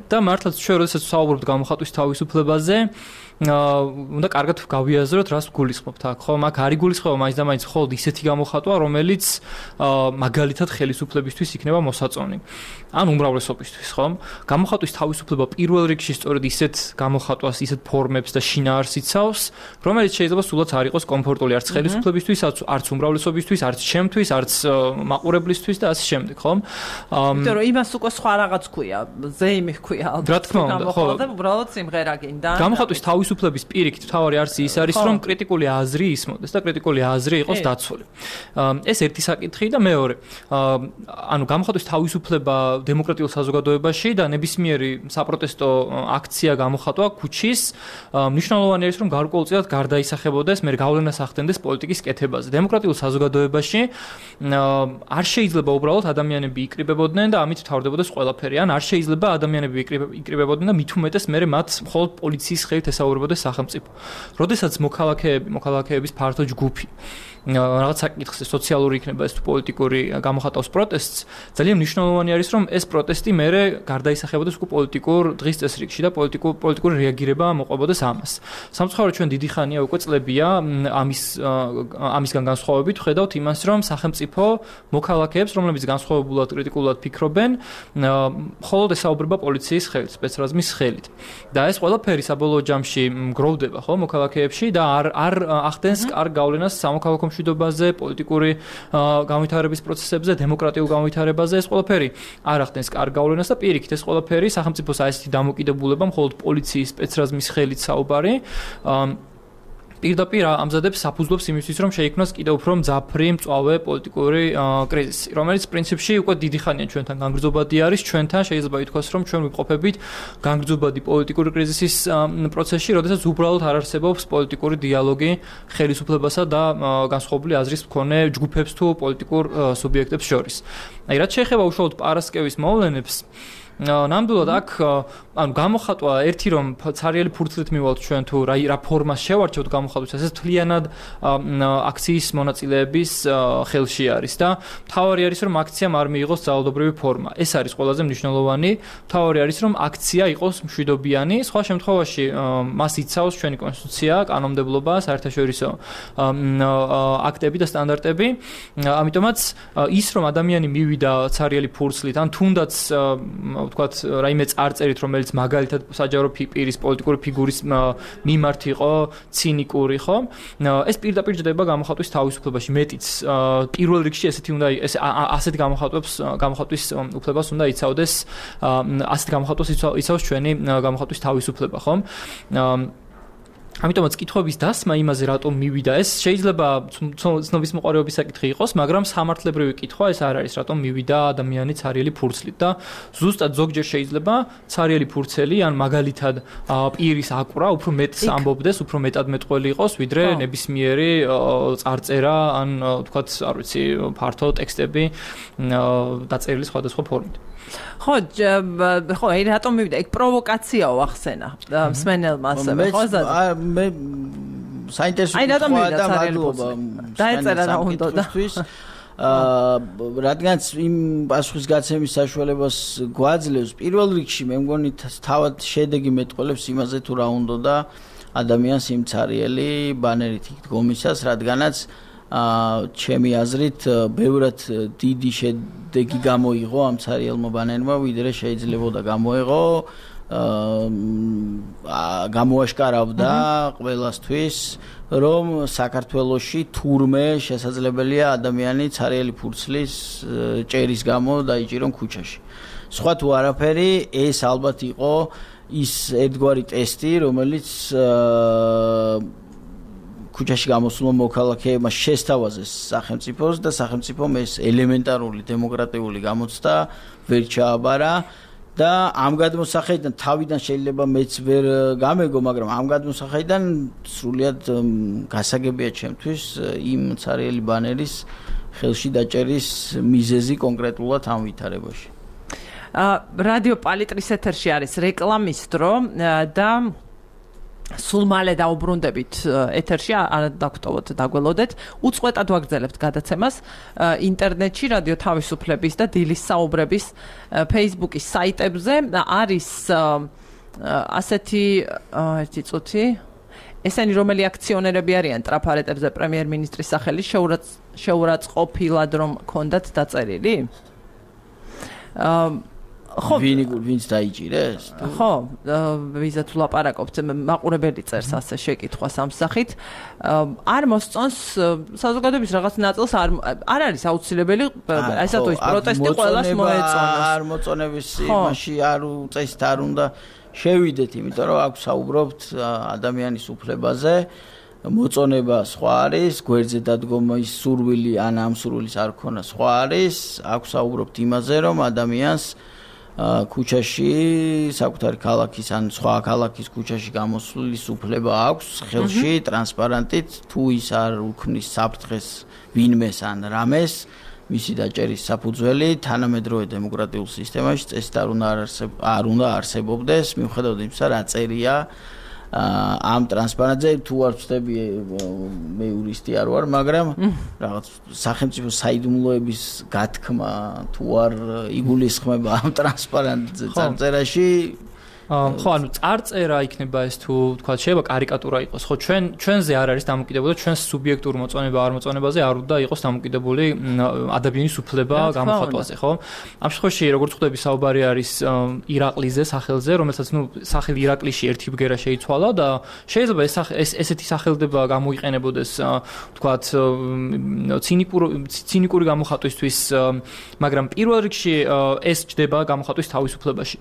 [SPEAKER 4] და მართლაც ჩვენ როდესაც ვსაუბრობთ გამოხატვის თავისუფლებაზე, უნდა კარგად გავიაზროთ, რას გულისხმობთ აქ, ხო? მაგ არის გულისხმობა მაინც და მაინც მხოლოდ ისეთი გამოხატვა, რომელიც მაგალითად ხელისუფლებისთვის იქნება მოსაწონი. ან უმრავლესობისთვის, ხო? გამოხატვის თავისუფლება პირველ რიგში სწორედ ისეთ გამოხატვას, ისეთ ფორმებს და შინაარსს იცავს, რომელიც შეიძლება სულაც არ იყოს კომფორტული არც ხელისუფლებისთვის, არც უმრავლესობისთვის, არც ჩემთვის, არც მაყურებლისთვის და ასე შემდეგ, ხო?
[SPEAKER 1] იმიტომ რომ იმას უკვე სხვა რაღაც ქვია, ზეიმი ქვია ალბათ.
[SPEAKER 4] რა თქმა უნდა, ხო.
[SPEAKER 1] და უბრალოდ სიმღერა გინდა.
[SPEAKER 4] გამოხატვის თავისუფლების პირიქით თავარი არცი ის არის, რომ კრიტიკული აზრი ისმოდეს და კრიტიკული აზრი იყოს დაცული. ეს ერთი საკითხი და მეორე, ანუ გამოხატვის თავისუფლება დემოკრატიულ საზოგადოებაში და ნებისმიერი საპროტესტო აქცია გამოხატვა ქუჩის მნიშვნელოვანი არის რომ გარკვეულწილად გარდაისახებოდეს, მე გავლენას ახდენდეს პოლიტიკის კეთებაზე. დემოკრატიულ საზოგადოებაში არ შეიძლება უბრალოდ ადამიანები იკრიბებოდნენ და ამით თავდებოდეს ყველაფერი. ან არ შეიძლება ადამიანები იკრიბებოდნენ და მით უმეტეს მე მათ მხოლოდ პოლიციის ხელით ესაუბრებოდეს სახელმწიფო. როდესაც მოქალაქეები, მოქალაქეების ფართო ჯგუფი რაღაც საკითხზე სოციალური იქნება ეს თუ პოლიტიკური გამოხატავს პროტესტს, ძალიან მნიშვნელოვანი არის რომ ეს პროტესტი მერე გარდაისახებოდეს უკვე პოლიტიკურ დღის წესრიგში და პოლიტიკურ პოლიტიკური რეაგირება მოყვებოდეს ამას. სამწუხაროდ ჩვენ დიდი ხანია უკვე წლებია ამის ამისგან განსხვავებით ხედავთ იმას რომ სახელმწიფო მოქალაქეებს, რომლებიც განსხვავებულად კრიტიკულად ფიქრობენ, მხოლოდ ესაუბრება პოლიციის ხელით, სპეცრაზმის ხელით. და ეს ყველაფერი საბოლოო ჯამში გროვდება ხო მოქალაქეებში და არ არ ახდენს კარგ გავლენას სამოქალაქო მშვიდობაზე, პოლიტიკური განვითარების პროცესებზე, დემოკრატიულ განვითარებაზე. ეს ყველაფერი არ ახდენს კარგ გავლენას და პირიქით ეს ყველაფერი სახელმწიფოს ასეთი დამოკიდებულება მხოლოდ პოლიციის სპეცრაზმის ხელით საუბარი პირდაპირ ამზადებს საფუძვლებს იმისთვის, რომ შეიქმნას კიდევ უფრო მძაფრი, მწვავე პოლიტიკური კრიზისი, რომელიც პრინციპში უკვე დიდი ხანია ჩვენთან განგრძობადი არის, ჩვენთან შეიძლება ითქვას, რომ ჩვენ ვიმყოფებით განგრძობადი პოლიტიკური კრიზისის პროცესში, როდესაც უბრალოდ არ არსებობს პოლიტიკური დიალოგი ხელისუფლებასა და განსხვავებული აზრის მქონე ჯგუფებს თუ პოლიტიკურ სუბიექტებს შორის. აი, რაც შეეხება უშუალოდ პარასკევის მოვლენებს, ნამდვილად აქ ანუ გამოხატვა ერთი რომ ცარიელი ფურცლით მივალთ ჩვენ თუ რა რა ფორმას შევარჩევთ გამოხატვის ეს თლიანად აქციის მონაწილეების ხელში არის და მთავარი არის რომ აქციამ არ მიიღოს ძალადობრივი ფორმა. ეს არის ყველაზე მნიშვნელოვანი. მთავარი არის რომ აქცია იყოს მშვიდობიანი. სხვა შემთხვევაში მას იცავს ჩვენი კონსტიტუცია, კანონმდებლობა, საერთაშორისო აქტები და სტანდარტები. ამიტომაც ის რომ ადამიანი მივიდა ცარიელი ფურცლით ან თუნდაც ვთქვათ, რაიმე წარწერით, რომელიც მაგალითად საჯარო პირის პოლიტიკური ფიგურის მიმართ იყო ცინიკური, ხო? ეს პირდაპირ ჯდება გამოხატვის თავისუფლებაში, მეტიც პირველ რიგში ესეთი უნდა ეს ასეთი გამოხატვებს გამოხატვის უფლებას უნდა იცავდეს, ასეთი გამოხატვას იცავს ჩვენი გამოხატვის თავისუფლება, ხო? ამიტომაც კითხვების დასმა იმაზე რატომ მივიდა ეს შეიძლება ცნობის მოყარეობის საკითხი იყოს, მაგრამ სამართლებრივი კითხვა ეს არ არის, რატომ მივიდა ადამიანი ცარიელი ფურცლით და ზუსტად ზოგჯერ შეიძლება ცარიელი ფურცელი ან მაგალითად პირის აკვრა უფრო მეტს ამბობდეს, უფრო მეტად მეტყველი იყოს, ვიდრე ნებისმიერი წარწერა ან თქვათ, არ ვიცი, ფართო ტექსტები დაწერილი სხვადასხვა ფორმით.
[SPEAKER 1] ხო, ხო, აი რატომ მივიდა? ეგ პროვოკაციაო ახსენა მსმენელმა ასევე, ხო?
[SPEAKER 2] მე საინტერესო
[SPEAKER 1] კითხვაა და მადლობა. დაეწერა რა უნდა და
[SPEAKER 2] აა რადგანაც იმ პასუხის გაცემის საშუალებას გვაძლევს პირველ რიგში მე მგონი თავად შედეგი მეტყოლებს იმაზე თუ რა უნდა და ადამიანს იმ ცარიელი ბანერით დგომისას, რადგანაც აა ჩემი აზრით ბევრად დიდი შედეგი გამოიღო ამ ცარიელმა ბანერმა, ვიდრე შეიძლებოდა გამოიღო აა გამოაშკარავდა ყველასთვის, რომ საქართველოში თურმე შესაძლებელია ადამიანი ცარიელი ფურცლის ჭერის გამო დაიჭირონ ქუჩაში. სხვა თუ არაფერი, ეს ალბათ იყო ის ერთგვარი ტესტი, რომელიც ქუჩაში გამოსულმა მოქალაქეებმა შესთავაზეს სახელმწიფოს და სახელმწიფომ ეს ელემენტარული დემოკრატიული გამოცდა ვერ ჩააბარა და ამ გადმოსახედიდან თავიდან შეიძლება მეც ვერ გამეგო, მაგრამ ამ გადმოსახედიდან სრულიად გასაგებია ჩემთვის იმ ცარიელი ბანერის ხელში დაჭერის მიზეზი კონკრეტულად ამ ვითარებაში.
[SPEAKER 1] რადიო პალიტრის ეთერში არის რეკლამის დრო და სულ მალე დაუბრუნდებით ეთერში, არ დაგტოვოთ, დაგველოდეთ. უწყვეტად ვაგრძელებთ გადაცემას ინტერნეტში, რადიო თავისუფლების და დილის საუბრების Facebook-ის საიტებზე. არის ასეთი ერთი წუთი ესენი რომელი აქციონერები არიან ტრაფარეტებზე პრემიერ-მინისტრის სახელის შეურაცხყოფილად რომ ქონდათ დაწერილი?
[SPEAKER 2] ხო, ვინი ვინც დაიჭირეს?
[SPEAKER 1] ხო, ვიზა თუ ლაპარაკობთ, მაყურებელი წერს ასე შეკითხვას ამ სახით. არ მოსწონს საზოგადოების რაღაც ნაწილს არ არ არის აუცილებელი, ასე თუ ის პროტესტი ყველას მოეწონოს.
[SPEAKER 2] არ მოწონების იმაში არ უწესით არ უნდა შევიდეთ, იმიტომ რომ აქ საუბრობთ ადამიანის უფლებაზე. მოწონება სხვა არის, გვერდზე დადგომის სურვილი ან ამ სურვილის არ ქონა სხვა არის. აქ საუბრობთ იმაზე, რომ ადამიანს ქუჩაში, საკუთარი ქალაქის ან სხვა ქალაქის ქუჩაში გამოსვლის უფლება აქვს, ხელში ტრანსპარენტით, თუ ის არ უქმნის საფრთხეს ვინმეს ან რამეს, მისი დაჭერის საფუძველი თანამედროვე დემოკრატიულ სისტემაში წესით არ უნდა არ უნდა არსებობდეს, მიუხედავად იმისა, რა წერია ამ ტრანსპარენტზე, თუ არ ვწდები, მე იურისტი არ ვარ, მაგრამ რაღაც სახელმწიფო საიდუმლოების გათქმა თუ არ იგულისხმება ამ ტრანსპარენტზე წარწერაში.
[SPEAKER 4] ხო, ანუ წარწერა იქნება ეს თუ თქვა შეიძლება კარიკატურა იყოს. ხო, ჩვენ ჩვენზე არ არის დამოკიდებული, ჩვენს სუბიექტურ მოწონება არ მოწონებაზე არ უნდა იყოს დამოკიდებული ადამიანის უფლება გამოხატვაზე, ხო? ამ შემთხვევაში როგორც ხვდები საუბარი არის ირაყლიზე, სახელზე, რომელსაც ნუ სახელი ირაკლიში ერთი ბგერა შეიცვალა და შეიძლება ეს ესეთი სახელდება გამოიყენებოდეს თქვა ცინიკური ცინიკური გამოხატვისთვის, მაგრამ პირველ რიგში ეს ჯდება გამოხატვის თავისუფლებაში.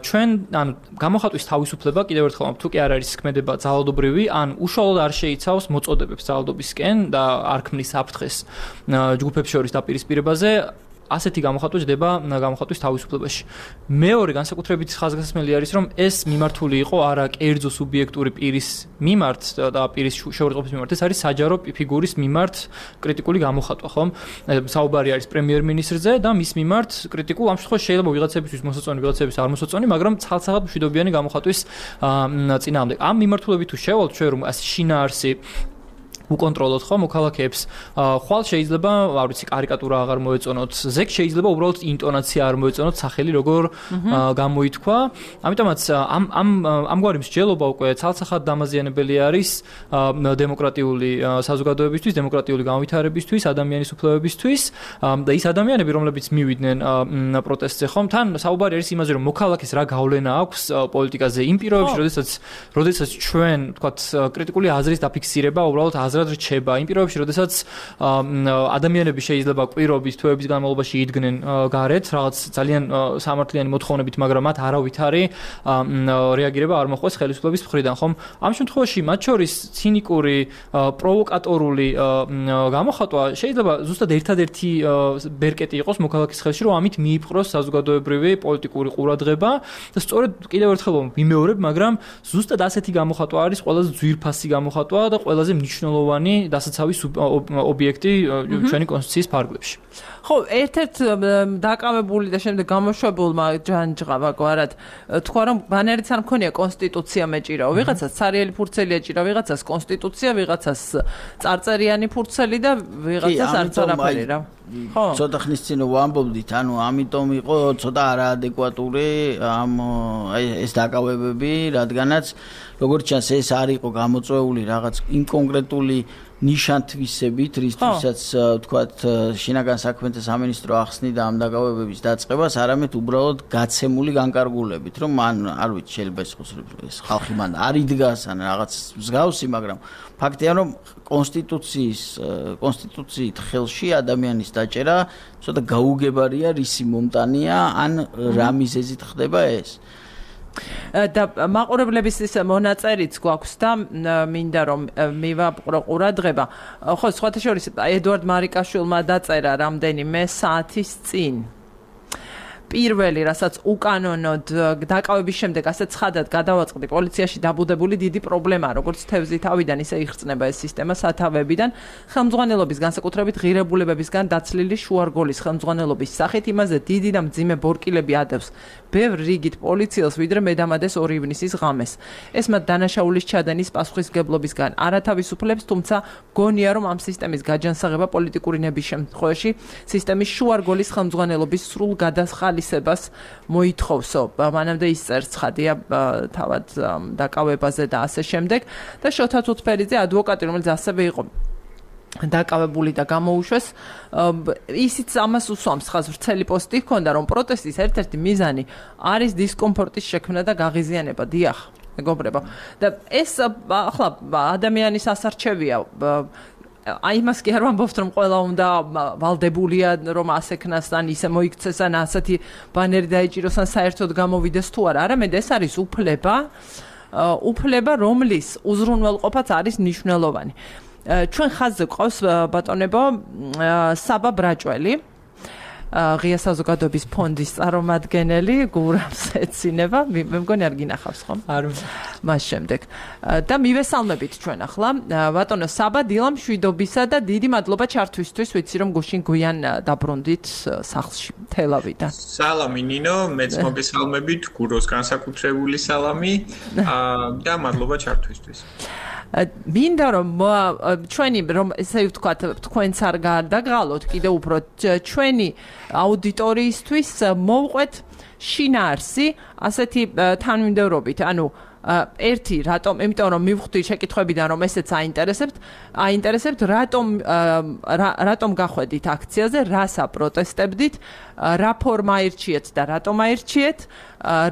[SPEAKER 4] ჩვენ ანუ გამოხატვის თავისუფლება კიდევ ერთხელ თუ კი არ არის ქმედება ძალადობრივი, ან უშუალოდ არ შეიცავს მოწოდებებს ძალადობისკენ და არ ქმნის საფრთხეს ჯგუფებს შორის დაპირისპირებაზე, ასეთი გამოხატვა ჯდება გამოხატვის თავისუფლებაში. მეორე განსაკუთრებით ხაზგასმელი არის, რომ ეს მიმართული იყო არა კერძო სუბიექტური პირის მიმართ და პირის შეურაცხყოფის მიმართ, ეს არის საჯარო ფიგურის მიმართ კრიტიკული გამოხატვა, ხო? საუბარი არის პრემიერ-მინისტრზე და მის მიმართ კრიტიკულ ამ შემთხვევაში შეიძლება ვიღაცებისთვის მოსაწონი, ვიღაცებისთვის არ მოსაწონი, მაგრამ ცალ-ცალად მშვიდობიანი გამოხატვის წინააღმდეგ. ამ მიმართულებით თუ შევალთ ჩვენ რომ ასე შინაარსი უკონტროლოთ ხო მოქალაქეებს. ხვალ შეიძლება, არ ვიცი, კარიკატურა აღარ მოეწონოთ, ზეგ შეიძლება უბრალოდ ინტონაცია არ მოეწონოთ, სახელი როგორ გამოითქვა. ამიტომაც ამ ამ ამგვარი მსჯელობა უკვე ცალსახად დამაზიანებელი არის დემოკრატიული საზოგადოებისთვის, დემოკრატიული განვითარებისთვის, ადამიანის უფლებებისთვის და ის ადამიანები, რომლებიც მივიდნენ პროტესტზე, ხომ თან საუბარი არის იმაზე, რომ მოქალაქეს რა გავლენა აქვს პოლიტიკაზე იმ პირობებში, როდესაც როდესაც ჩვენ, თქვათ, კრიტიკული აზრის დაფიქსირება უბრალოდ აზრად რჩება, იმ პირობებში, როდესაც ადამიანები შეიძლება კვირობის, თვეების განმავლობაში იდგნენ გარეთ, რაღაც ძალიან სამართლიანი მოთხოვნებით, მაგრამ მათ არავითარი რეაგირება არ მოხდეს ხელისუფლების მხრიდან, ხომ? ამ შემთხვევაში მათ შორის ცინიკური, პროვოკატორული გამოხატვა შეიძლება ზუსტად ერთადერთი ბერკეტი იყოს მოქალაქის ხელში, რომ ამით მიიპყროს საზოგადოებრივი პოლიტიკური ყურადღება და სწორედ კიდევ ერთხელ ვიმეორებ, მაგრამ ზუსტად ასეთი გამოხატვა არის ყველაზე ძვირფასი გამოხატვა და ყველაზე მნიშვნელოვანი დასაცავის ობიექტი ჩვენი კონსტიტუციის ფარგლებში.
[SPEAKER 1] ხო, ერთ-ერთ დაკავებული და შემდეგ გამოშვებულმა ჯანჯღავა გვარად თქვა, რომ ბანერიც არ მქონია კონსტიტუცია მეჭირავ, ვიღაცას ცარიელი ფურცელი ეჭირა, ვიღაცას კონსტიტუცია, ვიღაცას წარწერიანი ფურცელი და ვიღაცას არც არაფერი რა. ხო.
[SPEAKER 2] ცოტა ხნის წინ ვამბობდით, ანუ ამიტომ იყო ცოტა არაადეკვატური ამ ეს დაკავებები, რადგანაც როგორც ჩანს ეს არ იყო გამოწვეული რაღაც იმ კონკრეტული ნიშანთვისებით, რისთვისაც თქვათ შინაგან საქმეთა სამინისტრო ახსნიდა ამ დაკავებების დაწყებას, არამედ უბრალოდ გაცემული განკარგულებით, რომ მან არ ვიცი შეიძლება ეს ხალხი მან არ იდგას ან რაღაც მსგავსი, მაგრამ ფაქტია, რომ კონსტიტუციის კონსტიტუციით ხელში ადამიანის დაჭერა ცოტა გაუგებარია, რისი მომტანია, ან რა მიზეზით ხდება ეს.
[SPEAKER 1] და მაყურებლების ის მონაწერიც გვაქვს და მინდა რომ მივაპყრო ყურადღება. ხო, სხვათა შორის ედვარდ მარიკაშვილმა დაწერა რამდენიმე საათის წინ. პირველი, რასაც უკანონოდ დაკავების შემდეგ ასე ცხადად გადავაწყდი, პოლიციაში დაბუდებული დიდი პრობლემაა, როგორც თევზი თავიდან ისე იხსნება ეს სისტემა სათავეებიდან, ხელმძღვანელობის განსაკუთრებით ღირებულებებისგან დაცლილი შუარგოლის ხელმძღვანელობის სახით იმაზე დიდი და მძიმე ბორკილები ადევს ბევრ რიგით პოლიციელს, ვიდრე მედამადეს ორი ივნისის ღამეს. ეს მათ დანაშაულის ჩადენის პასუხისგებლობისგან არ ათავისუფლებს, თუმცა გონია, რომ ამ სისტემის გაჯანსაღება პოლიტიკური ნების შემთხვევაში სისტემის შუარგოლის ხელმძღვანელობის სრულ გადახალისებას მოითხოვსო. მანამდე ის წერს ცხადია თავად დაკავებაზე და ასე შემდეგ და შოთა თუთფერიძე ადვოკატი, რომელიც ასევე იყო დაკავებული და გამოუშვეს, ისიც ამას უსვამს, ხაზ ვრცელი პოსტი ჰქონდა, რომ პროტესტის ერთ-ერთი მიზანი არის დისკომფორტის შექმნა და გაღიზიანება. დიახ, მეგობრებო. და ეს ახლა ადამიანის ასარჩევია. აი იმას კი არ ვამბობთ, რომ ყველა უნდა ვალდებულია, რომ ასექნას ან ისე მოიქცეს ან ასეთი ბანერი დაიჭიროს ან საერთოდ გამოვიდეს თუ არა. არამედ ეს არის უფლება, უფლება, რომლის უზრუნველყოფაც არის მნიშვნელოვანი. ჩვენ ხაზზე გვყავს ბატონებო საბა ბრაჭველი, ღია საზოგადოების ფონდის წარმომადგენელი, გურამს ეცინება, მე მგონი არ გინახავს ხომ?
[SPEAKER 4] არ
[SPEAKER 1] მას შემდეგ. და მივესალმებით ჩვენ ახლა ბატონო საბა დილა მშვიდობისა და დიდი მადლობა ჩართვისთვის, ვიცი რომ გუშინ გვიან დაბრუნდით სახლში თელავიდან.
[SPEAKER 5] სალამი ნინო, მეც მოგესალმებით, გუროს განსაკუთრებული სალამი და მადლობა ჩართვისთვის.
[SPEAKER 1] მინდა რომ ჩვენი რომ ესე ვთქვათ, თქვენც არ გადაგღალოთ კიდევ უფრო ჩვენი აუდიტორიისთვის მოვყვეთ შინაარსი ასეთი თანმიმდევრობით, ანუ ერთი რატომ, იმიტომ რომ მივხვდი შეკითხვებიდან რომ ესეც აინტერესებთ, აინტერესებთ რატომ რატომ გახვედით აქციაზე, რას აპროტესტებდით, რა ფორმა აირჩიეთ და რატომ აირჩიეთ,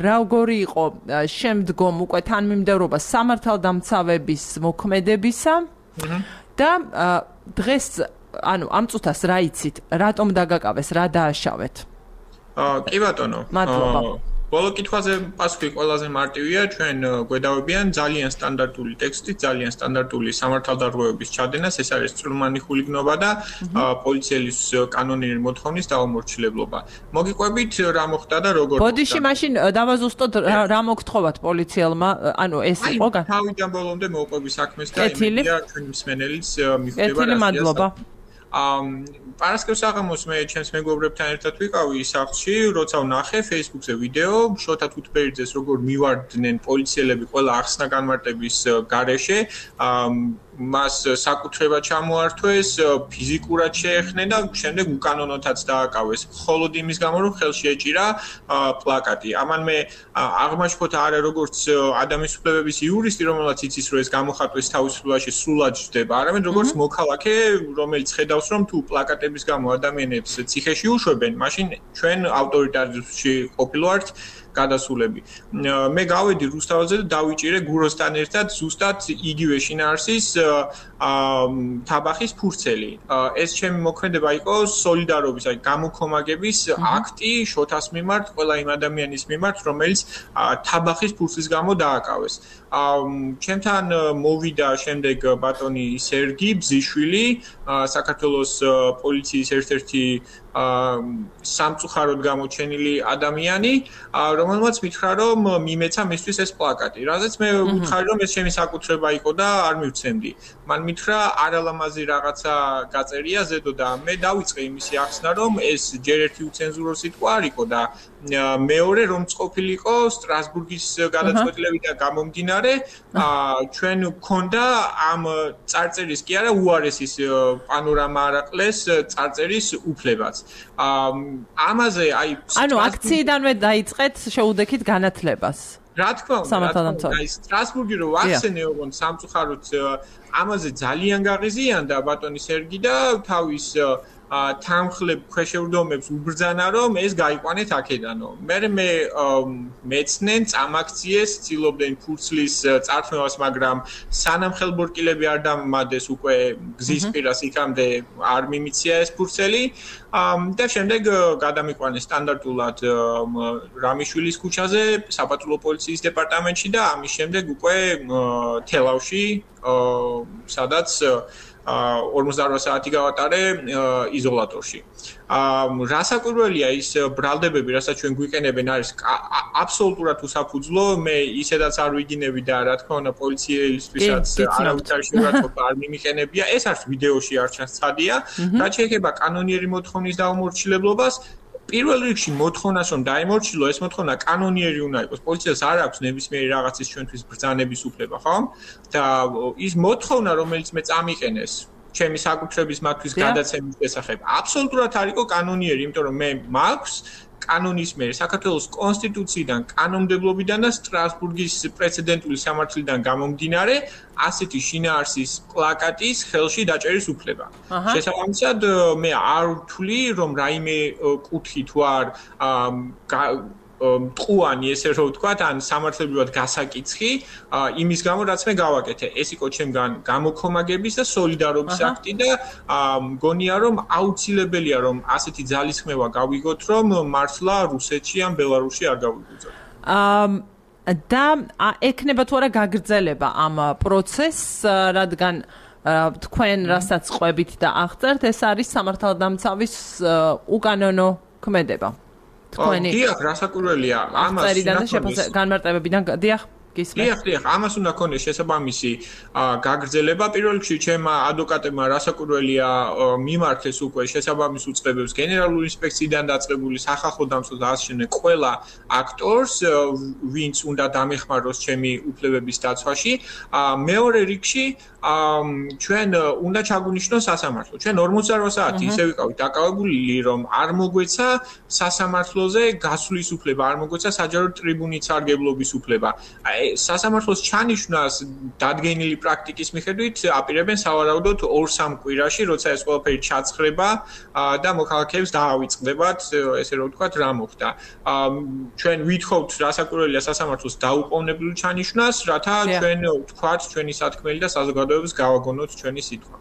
[SPEAKER 1] როგორი იყო შემდგომ უკვე თანმიმდევრობა სამართალდამცავების მოქმედებისა და დღეს ანუ ამ წუთას რა იცით, რატომ დაგაკავეს, რა დააშავეთ?
[SPEAKER 5] კი ბატონო.
[SPEAKER 1] მადლობა.
[SPEAKER 5] ბოლო კითხვაზე პასუხი ყველაზე მარტივია, ჩვენ გვედავებიან ძალიან სტანდარტული ტექსტი, ძალიან სტანდარტული სამართალდარღვევების ჩადენას, ეს არის წვრილმანი ხულიგნობა და პოლიციელის კანონიერი მოთხოვნის დაუმორჩილებლობა. მოგიყვებით რა მოხდა და როგორ მოხდა?
[SPEAKER 1] ბოდიში მაშინ დავაზუსტოთ რა მოგთხოვათ პოლიციელმა, ანუ ეს იყო გან.
[SPEAKER 5] თავიდან ბოლომდე მოვყვები საქმეს და იმედია ჩვენი მსმენელიც მიხვდება რა.
[SPEAKER 1] ეთილი მადლობა.
[SPEAKER 5] ამ პარასკევს საღამოს მე ჩემს მეგობრებთან ერთად ვიყავი სახლში, როცა ვნახე Facebook-ზე ვიდეო, შოთა თუთფერიძეს როგორ მივარდნენ პოლიციელები ყველა ახსნა განმარტების გარეშე, მას საკუთრება ჩამოართვეს, ფიზიკურად შეეხნენ და შემდეგ უკანონოთაც დააკავეს. მხოლოდ იმის გამო, რომ ხელში ეჭირა პლაკატი. ამან მე აღმაშფოთ არა როგორც ადამიანის უფლებების იურისტი, რომელსაც იცის, რომ ეს გამოხატვის თავისუფლებაში სრულად ჯდება, არამედ როგორც მოქალაქე, რომელიც ხედავს, რომ თუ პლაკატების გამო ადამიანებს ციხეში უშვებენ, მაშინ ჩვენ ავტორიტარიზმში ყოფილვართ გადასულები. მე გავედი რუსთავაზე და დავიჭირე გუროსთან ერთად ზუსტად იგივე შინაარსის თაბახის ფურცელი. ეს ჩემი მოქმედება იყო სოლიდარობის, აი გამოქომაგების აქტი შოთას მიმართ, ყველა იმ ადამიანის მიმართ, რომელიც თაბახის ფურცლის გამო დააკავეს. ჩემთან მოვიდა შემდეგ ბატონი სერგი ბზიშვილი, საქართველოს პოლიციის ერთ-ერთი სამწუხაროდ გამოჩენილი ადამიანი, რომელმაც მითხრა, რომ მიმეცა მისთვის ეს პლაკატი. რაზეც მე ვუთხარი, რომ ეს ჩემი საკუთრება იყო და არ მივცემდი. მან მითხრა, არალამაზი რაღაცა გაწერია ზედო და მე დავიწყე იმისი ახსნა, რომ ეს ჯერ ერთი უცენზურო სიტყვა არ იყო და მეორე რომ წყობილიყო სტრასბურგის გადაწყვეტილებიდან გამომდინარე, ჩვენ გქონდა ამ წარწერის კი არა უარესის პანორამა არაყლეს წარწერის უფლებაც. ამაზე აი
[SPEAKER 1] ანუ აქციიდანვე დაიწყეთ შეუდექით განათლებას.
[SPEAKER 5] რა თქმა უნდა, აი სტრასბურგი რო ახსენე ოღონდ სამწუხაროდ ამაზე ძალიან გაღიზიანდა ბატონი სერგი და თავის თანხლებ ქვეშევრდომებს უბრძანა, რომ ეს გაიყვანეთ აქედანო. მე მე მეცნენ წამაქციეს, ცდილობდნენ ფურცლის წართმევას, მაგრამ სანამ ხელბორკილები არ დამამადეს უკვე გზის პირას იქამდე არ მიმიცია ეს ფურცელი და შემდეგ გადამიყვანეს სტანდარტულად რამიშვილის ქუჩაზე, საპატრულო პოლიციის დეპარტამენტში და ამის შემდეგ უკვე თელავში, სადაც ორმოცდაოთხ საათი გავატარე იზოლატორში. რასაკვირველია ის ბრალდებები, რასაც ჩვენ გვიყენებენ, არის აბსოლუტურად უსაფუძვლო. მე ისედაც არ ვიგინები და რა თქმა უნდა პოლიციელისთვისაც არავითარი შეურაცხყოფა არ მიმიყენებია. ეს არის ვიდეოში არ ჩანს ცხადია. რაც შეეხება კანონიერი მოთხოვნის დაუმორჩილებლობას, პირველ რიგში მოთხოვნას რომ დაიმორჩილო, ეს მოთხოვნა კანონიერი უნდა იყოს. პოლიციას არ აქვს ნებისმიერი რაღაცის ჩვენთვის ბრძანების უფლება, ხო? და ის მოთხოვნა, რომელიც მე წამიყენეს ჩემი საკუთრების მათთვის გადაცემის შესახებ, აბსოლუტურად არ იყო კანონიერი, იმიტომ რომ მე მაქვს კანონის მიერ საქართველოს კონსტიტუციიდან, კანონმდებლობიდან და სტრასბურგის პრეცედენტული სამართლიდან გამომდინარე ასეთი შინაარსის პლაკატის ხელში დაჭერის უფლება. შესაბამისად, მე არ ვთვლი, რომ რაიმე კუთხი თუ არ მტყუანი, ესე რომ ვთქვათ, ან სამართლებრივად გასაკიცხი, იმის გამო, რაც მე გავაკეთე. ეს იყო ჩემგან გამოქომაგების და სოლიდარობის აქტი და მგონია, რომ აუცილებელია, რომ ასეთი ძალისხმევა გავიგოთ, რომ მართლა რუსეთში ან ბელარუსში არ გავიგუძოთ.
[SPEAKER 1] და ექნება თუ არა გაგრძელება ამ პროცესს, რადგან თქვენ რასაც ყვებით და აღწერთ, ეს არის სამართალდამცავის უკანონო ქმედება. თქვენი
[SPEAKER 5] დიახ, რასაკვირველია, ამას
[SPEAKER 1] უნდა განმარტებებიდან დიახ, გისმენთ.
[SPEAKER 5] დიახ, დიახ, ამას უნდა ქონდეს შესაბამისი გაგრძელება. პირველ რიგში ჩემმა ადვოკატებმა რასაკვირველია მიმართეს უკვე შესაბამის უწყებებს გენერალური ინსპექციიდან დაწყებული სახალხო დამცველ და ასე შემდეგ ყველა აქტორს, ვინც უნდა დამეხმაროს ჩემი უფლებების დაცვაში. მეორე რიგში ჩვენ უნდა ჩაგვინიშნოს სასამართლო. ჩვენ ორმოცდაოთხ საათი ისე ვიყავით დაკავებული, რომ არ მოგვეცა სასამართლოზე გასვლის უფლება, არ მოგვეცა საჯარო ტრიბუნის სარგებლობის უფლება. სასამართლოს ჩანიშვნას დადგენილი პრაქტიკის მიხედვით აპირებენ სავარაუდოდ ორ-სამ კვირაში, როცა ეს ყველაფერი ჩაცხრება და მოქალაქეებს დაავიწყდებათ, ესე რომ ვთქვათ, რა მოხდა. ჩვენ ვითხოვთ რასაკვირველია სასამართლოს დაუყოვნებლივ ჩანიშვნას, რათა ჩვენ ვთქვათ ჩვენი სათქმელი და საზოგადოებას გავაგონოთ ჩვენი სიტყვა.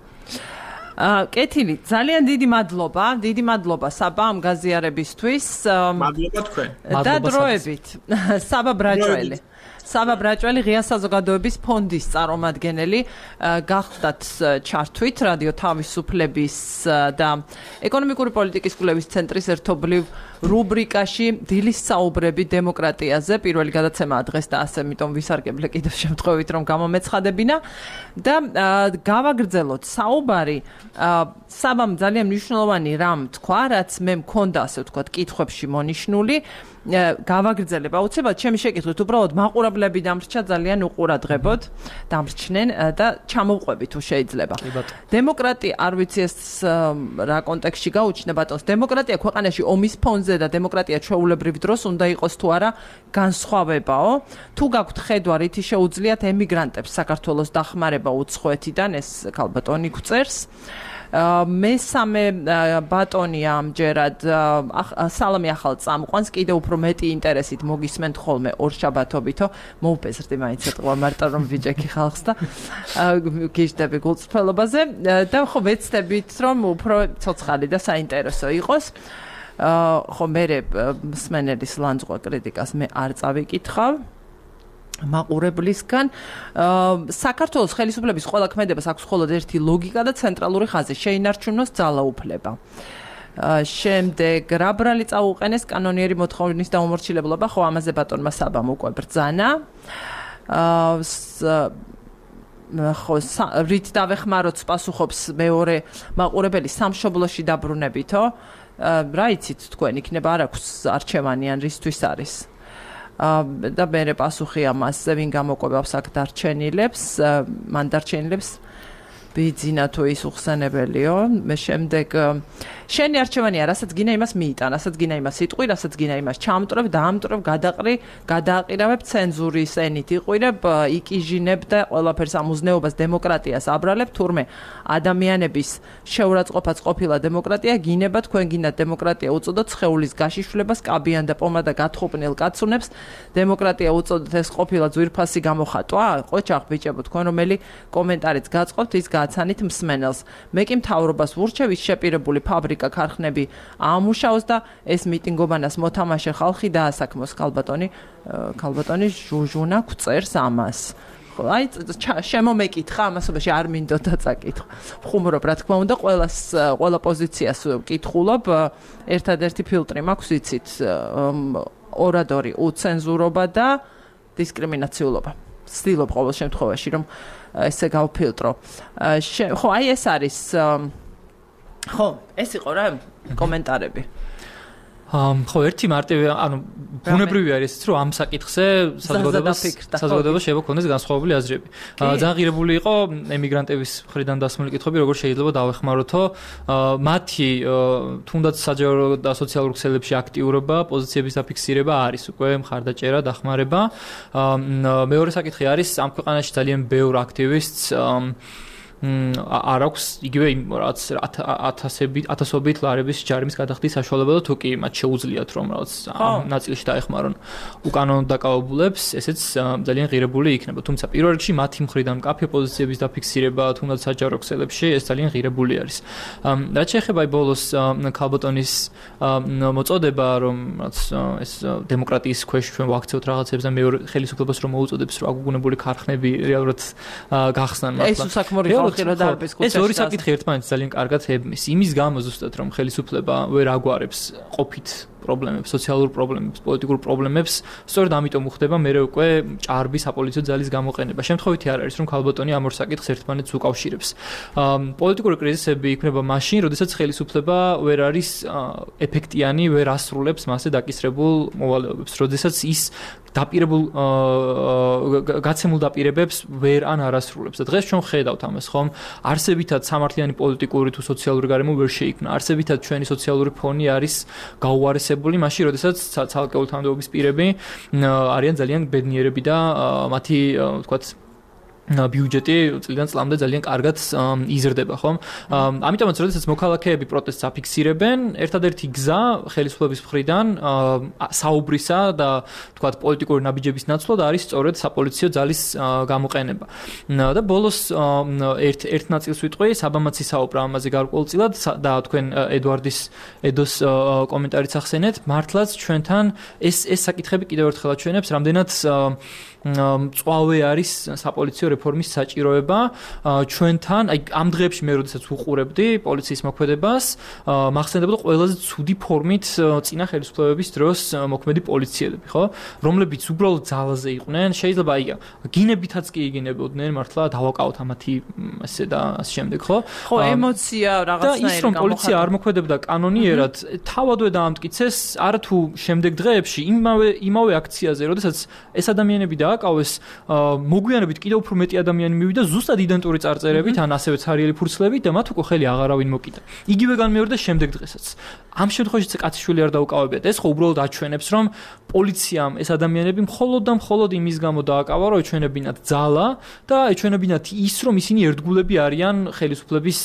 [SPEAKER 1] კეთილი, ძალიან დიდი მადლობა, დიდი მადლობა საბა ამ გაზიარებისთვის.
[SPEAKER 5] მადლობა თქვენ.
[SPEAKER 1] და დროებით, საბა ბრაჭველი. საბა ბრაჭველი ღია საზოგადოების ფონდის წარმომადგენელი, გახდათ ჩართვით რადიო თავისუფლების და ეკონომიკური პოლიტიკის კვლევის ცენტრის ერთობლივ რუბრიკაში დილის საუბრები დემოკრატიაზე. პირველი გადაცემაა დღეს და ასე ამიტომ ვისარგებლე კიდევ შემთხვევით რომ გამომეცხადებინა და გავაგრძელოთ საუბარი. საბამ ძალიან მნიშვნელოვანი რამ თქვა, რაც მე მქონდა ასე ვთქვათ კითხვებში მონიშნული. გავაგრძელებ აუცილებლად ჩემი შეკითხვით უბრალოდ მაყურებელს მშობლები დამრჩა ძალიან უყურადღებოდ, დამრჩნენ და ჩამოვყვები თუ შეიძლება. დემოკრატია არ ვიცი ეს რა კონტექსტში გაუჩნდა ბატონს. დემოკრატია ქვეყანაში ომის ფონზე და დემოკრატია ჩვეულებრივ დროს უნდა იყოს თუ არა განსხვავებაო. თუ გაქვთ ხედვა რითი შეუძლიათ ემიგრანტებს საქართველოს დახმარება უცხოეთიდან ეს ქალბატონი გვწერს. მესამე ბატონი ამჯერად სალამი ახალ წამყვანს კიდევ უფრო მეტი ინტერესით მოგისმენთ ხოლმე ორშაბათობითო მოუპეზრდი მაინც ეთყვა მარტო რომ ვიჯექი ხალხს და გიჟდები გულწრფელობაზე და ხო ვეცდებით რომ უფრო ცოცხალი და საინტერესო იყოს ხო მე მსმენელის ლანძღვა კრიტიკას მე არ წავიკითხავ მაყურებლისგან საქართველოს ხელისუფლების ყველა ქმედებას აქვს მხოლოდ ერთი ლოგიკა და ცენტრალური ხაზი შეინარჩუნოს ძალაუფლება. შემდეგ რა ბრალი წაუყენეს კანონიერი მოთხოვნის დაუმორჩილებლობა, ხო ამაზე ბატონმა საბამ უკვე ბრძანა. ხო რით დავეხმაროთ პასუხობს მეორე მაყურებელი სამშობლოში დაბრუნებითო. რა იცით თქვენ იქნება არ აქვს არჩევანი ან რისთვის არის? და მე პასუხი ამას ვინ გამოყვებავს აქ დარჩენილებს მან დარჩენილებს ბიძინა თუ ის უხსენებელიო მე შემდეგ შენი არჩევანია რასაც გინა იმას მიიტან რასაც გინა იმას იტყვი რასაც გინა იმას ჩამტრებ დაამტრებ გადაყრი გადააყირავებ ცენზურის ენით იყვირებ იკიჟინებ და ყველაფერს ამუზნეობას დემოკრატიას აბრალებ თურმე ადამიანების შეურაცხყოფაც ყოფილა დემოკრატია გინება თქვენ გინდათ დემოკრატია უწოდოთ სხეულის გაშიშვლებას კაბიან და პომადა გათხოვნილ კაცუნებს დემოკრატია უწოდოთ ეს ყოფილა ძვირფასი გამოხატვა ყოჩახ ბიჭებო თქვენ რომელი კომენტარიც გაწყობთ ის გაცანით მსმენელს მე კი მთავრობას ვურჩევ ის შეპირებული ფაბრიკა ქარხნები ამუშაოს და ეს მიტინგობანას მოთამაშე ხალხი დაასაქმოს ქალბატონი ქალბატონი ჟუჟუნა გვწერს ამას აი შემომეკითხა ამასობაში არ მინდოდა წაკითხო ხუმრობ რა თქმა უნდა ყველას ყველა პოზიციას ვკითხულობ ერთადერთი ფილტრი მაქვს იცით ორადორი უცენზურობა და დისკრიმინაციულობა ვცდილობ ყოველ შემთხვევაში რომ ესე გავფილტრო ხო აი ეს არის ხო ეს იყო რა კომენტარები ხო ერთი მარტივი ანუ ბუნებრივი არის ისიც რომ ამ საკითხზე საზოგადოებას საზოგადოებას შეიძლება ქონდეს განსხვავებული აზრები. ძალიან ღირებული იყო ემიგრანტების მხრიდან დასმული კითხვები როგორ შეიძლება დავეხმაროთო მათი თუნდაც საჯარო და სოციალურ ქსელებში აქტიურობა პოზიციების დაფიქსირება არის უკვე მხარდაჭერა დახმარება. მეორე საკითხი არის ამ ქვეყანაში ძალიან ბევრ აქტივისტს არ აქვს იგივე რაც ათასობით ათასობით ლარების ჯარიმის გადახდის საშუალება და თუ კი მათ შეუძლიათ რომ რაღაც ამ ნაწილში დაეხმარონ უკანონო დაკავებულებს ესეც ძალიან ღირებული იქნება თუმცა პირველ რიგში მათი მხრიდან მკაფიო პოზიციების დაფიქსირება თუნდაც საჯარო ქსელებში ეს ძალიან ღირებული არის რაც შეეხება აი ბოლოს ქალბატონის მოწოდება რომ რაც ეს დემოკრატიის ქვეშ ჩვენ ვაქცევთ რაღაცებს და მეორე ხელისუფლებას რომ მოუწოდებს რომ აგუგუნებული ქარხნები რეალურად გახსნან მართლა ეს უსაქმორი
[SPEAKER 4] ეს ორი საკითხი ერთმანეთს ძალიან კარგად ებმის. იმის გამო ზუსტად რომ ხელისუფლება ვერ აგვარებს ყოფით პრობლემებს, სოციალურ პრობლემებს, პოლიტიკურ პრობლემებს, სწორედ ამიტომ უხდება მე უკვე ჭარბი საპოლიციო ძალის გამოყენება. შემთხვევითი არ არის რომ ქალბატონი ამ ორ საკითხს ერთმანეთს უკავშირებს. პოლიტიკური კრიზისები იქნება მაშინ, როდესაც ხელისუფლება ვერ არის ეფექტიანი, ვერ ასრულებს მასზე დაკისრებულ მოვალეობებს, როდესაც ის დაპირებულ გაცემულ დაპირებებს ვერ ან არ ასრულებს. და დღეს ჩვენ ხედავთ ამას, ხომ? არსებითად სამართლიანი პოლიტიკური თუ სოციალური გარემო ვერ შეიქმნა. არსებითად ჩვენი სოციალური ფონი არის გაუარესებული, მაშინ, როდესაც ცალკეული თანამდებობის პირები არიან ძალიან ბედნიერები და მათი, ვთქვათ, ბიუჯეტი წლიდან წლამდე ძალიან კარგად იზრდება, ხომ? ამიტომაც, როდესაც მოქალაქეები პროტესტს აფიქსირებენ, ერთადერთი გზა ხელისუფლების მხრიდან საუბრისა და თქვათ პოლიტიკური ნაბიჯების ნაცვლად არის სწორედ საპოლიციო ძალის გამოყენება. და ბოლოს ერთ ერთ ნაწილს ვიტყვი, საბამაცი საუბრა ამაზე გარკვეულწილად და თქვენ ედვარდის ედოს კომენტარიც ახსენეთ, მართლაც ჩვენთან ეს ეს საკითხები კიდევ ერთხელ აჩვენებს, რამდენად მწვავე არის საპოლიციო რეფორმის საჭიროება ჩვენთან, აი ამ დღეებში მე როდესაც უყურებდი პოლიციის მოქმედებას, მახსენდებოდა ყველაზე ცუდი ფორმით წინა ხელისუფლებების დროს მოქმედი პოლიციელები, ხო? რომლებიც უბრალოდ ძალაზე იყვნენ, შეიძლება აი გინებითაც კი იგინებოდნენ, მართლა დავაკავოთ ამათი ესე და ამ შემდეგ, ხო?
[SPEAKER 1] ხო, ემოცია რაღაცნაირი
[SPEAKER 4] და ის რომ პოლიცია არ მოქმედებდა კანონიერად, თავადვე დაამტკიცეს არათუ შემდეგ დღეებში იმავე იმავე აქციაზე, როდესაც ეს ადამიანები დააკავეს, მოგვიანებით კიდევ უფრო მეტი ადამიანი მივიდა ზუსტად იდენტური წარწერებით, ან ასევე ცარიელი ფურცლებით და მათ უკვე ხელი აღარავინ მოკიდა. იგივე განმეორდა შემდეგ დღესაც. ამ შემთხვევაში კაციშვილი არ დაუკავებიათ. ეს ხო უბრალოდ აჩვენებს, რომ პოლიციამ ეს ადამიანები მხოლოდ და მხოლოდ იმის გამო დააკავა, რომ ეჩვენებინათ ძალა და ეჩვენებინათ ის, რომ ისინი ერთგულები არიან ხელისუფლების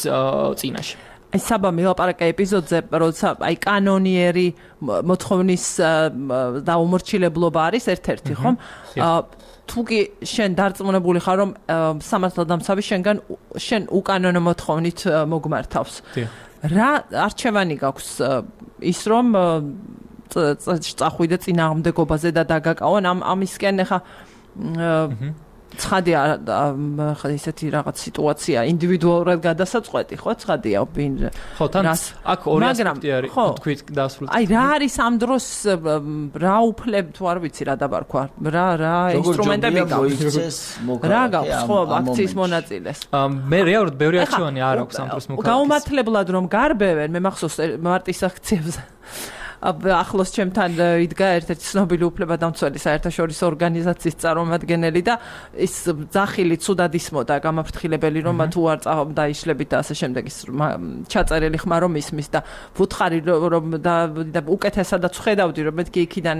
[SPEAKER 4] წინაშე.
[SPEAKER 1] აი საბა მილაპარაკა ეპიზოდზე, როცა აი კანონიერი მოთხოვნის დაუმორჩილებლობა არის ერთ-ერთი, ხომ? თუ კი შენ დარწმუნებული ხარ, რომ სამართალდამცავი შენგან შენ უკანონო მოთხოვნით მოგმართავს. რა არჩევანი გაქვს ის რომ წახვიდე წინააღმდეგობაზე და დაგაკავონ ამ ამისკენ ახლა ცხადია ხა ისეთი რაღაც სიტუაცია ინდივიდუალურად გადასაწყვეტი ხო ცხადია ოპინიონ
[SPEAKER 4] ხო თან აქ ორი ასპექტი არის თქვით დასრულდა
[SPEAKER 1] აი რა არის ამ დროს რა უფლებ თუ არ ვიცი რა დაბარქვა რა რა ინსტრუმენტები გაქვს რა გაქვს ხო აქციის მონაწილეს
[SPEAKER 4] მე რეალურად ბევრი არჩევანი არ აქვს ამ დროს მოხდა
[SPEAKER 1] გაუმართლებლად რომ გარბევენ მე მახსოვს მარტის აქციებზე ახლოს ჩემთან იდგა ერთ-ერთი ცნობილი უფლებადამცველი საერთაშორისო ორგანიზაციის წარმომადგენელი და ის ძახილი ცუდად ისმოდა გამაფრთხილებელი რომ თუ არ დაიშლებით და ასე შემდეგ ის ჩაწერილი ხმა რომ ისმის და ვუთხარი რომ და უკეთესადაც ხედავდი რომ მეთქი იქიდან